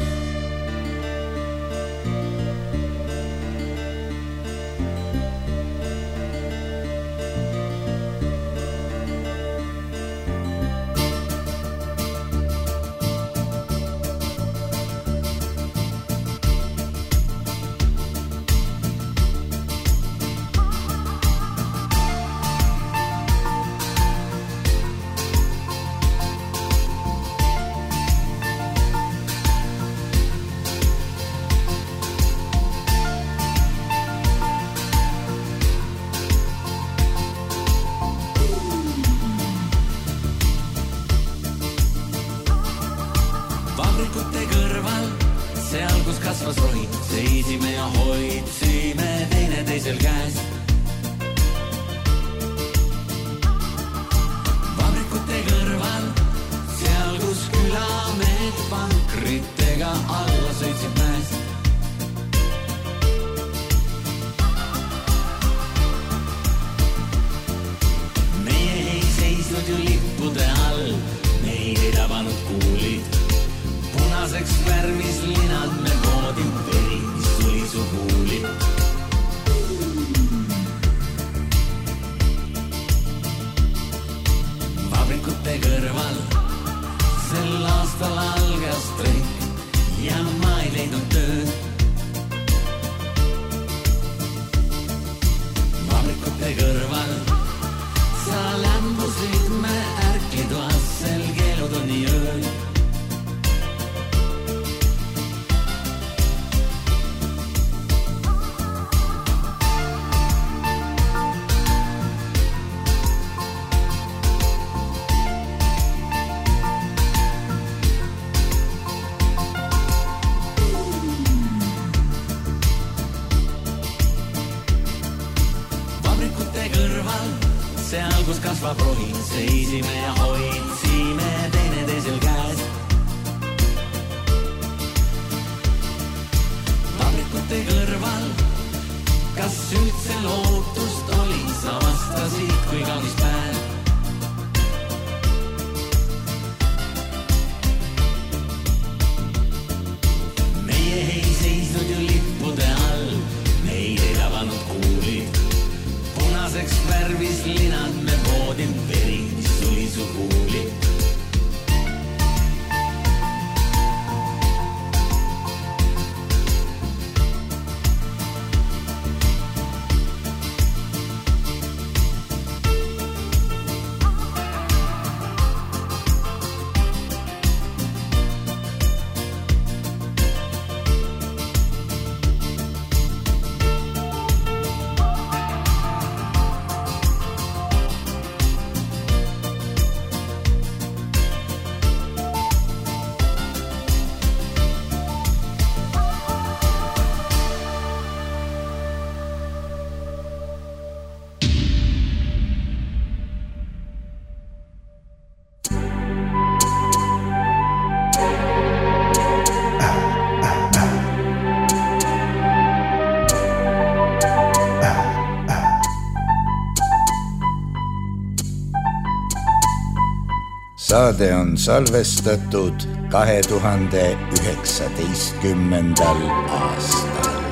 Seisime ja hoidsime teineteisel käes. Vabrikute kõrval, kas üldse lootust oli, sa vastasid kui kaunis päev. Meie ei seisnud ju lippude all, meid ei tabanud kuulid, punaseks värv närvis linad me voodin veri, mis tuli su kuuli. Saade on salvestatud 2019. aastal.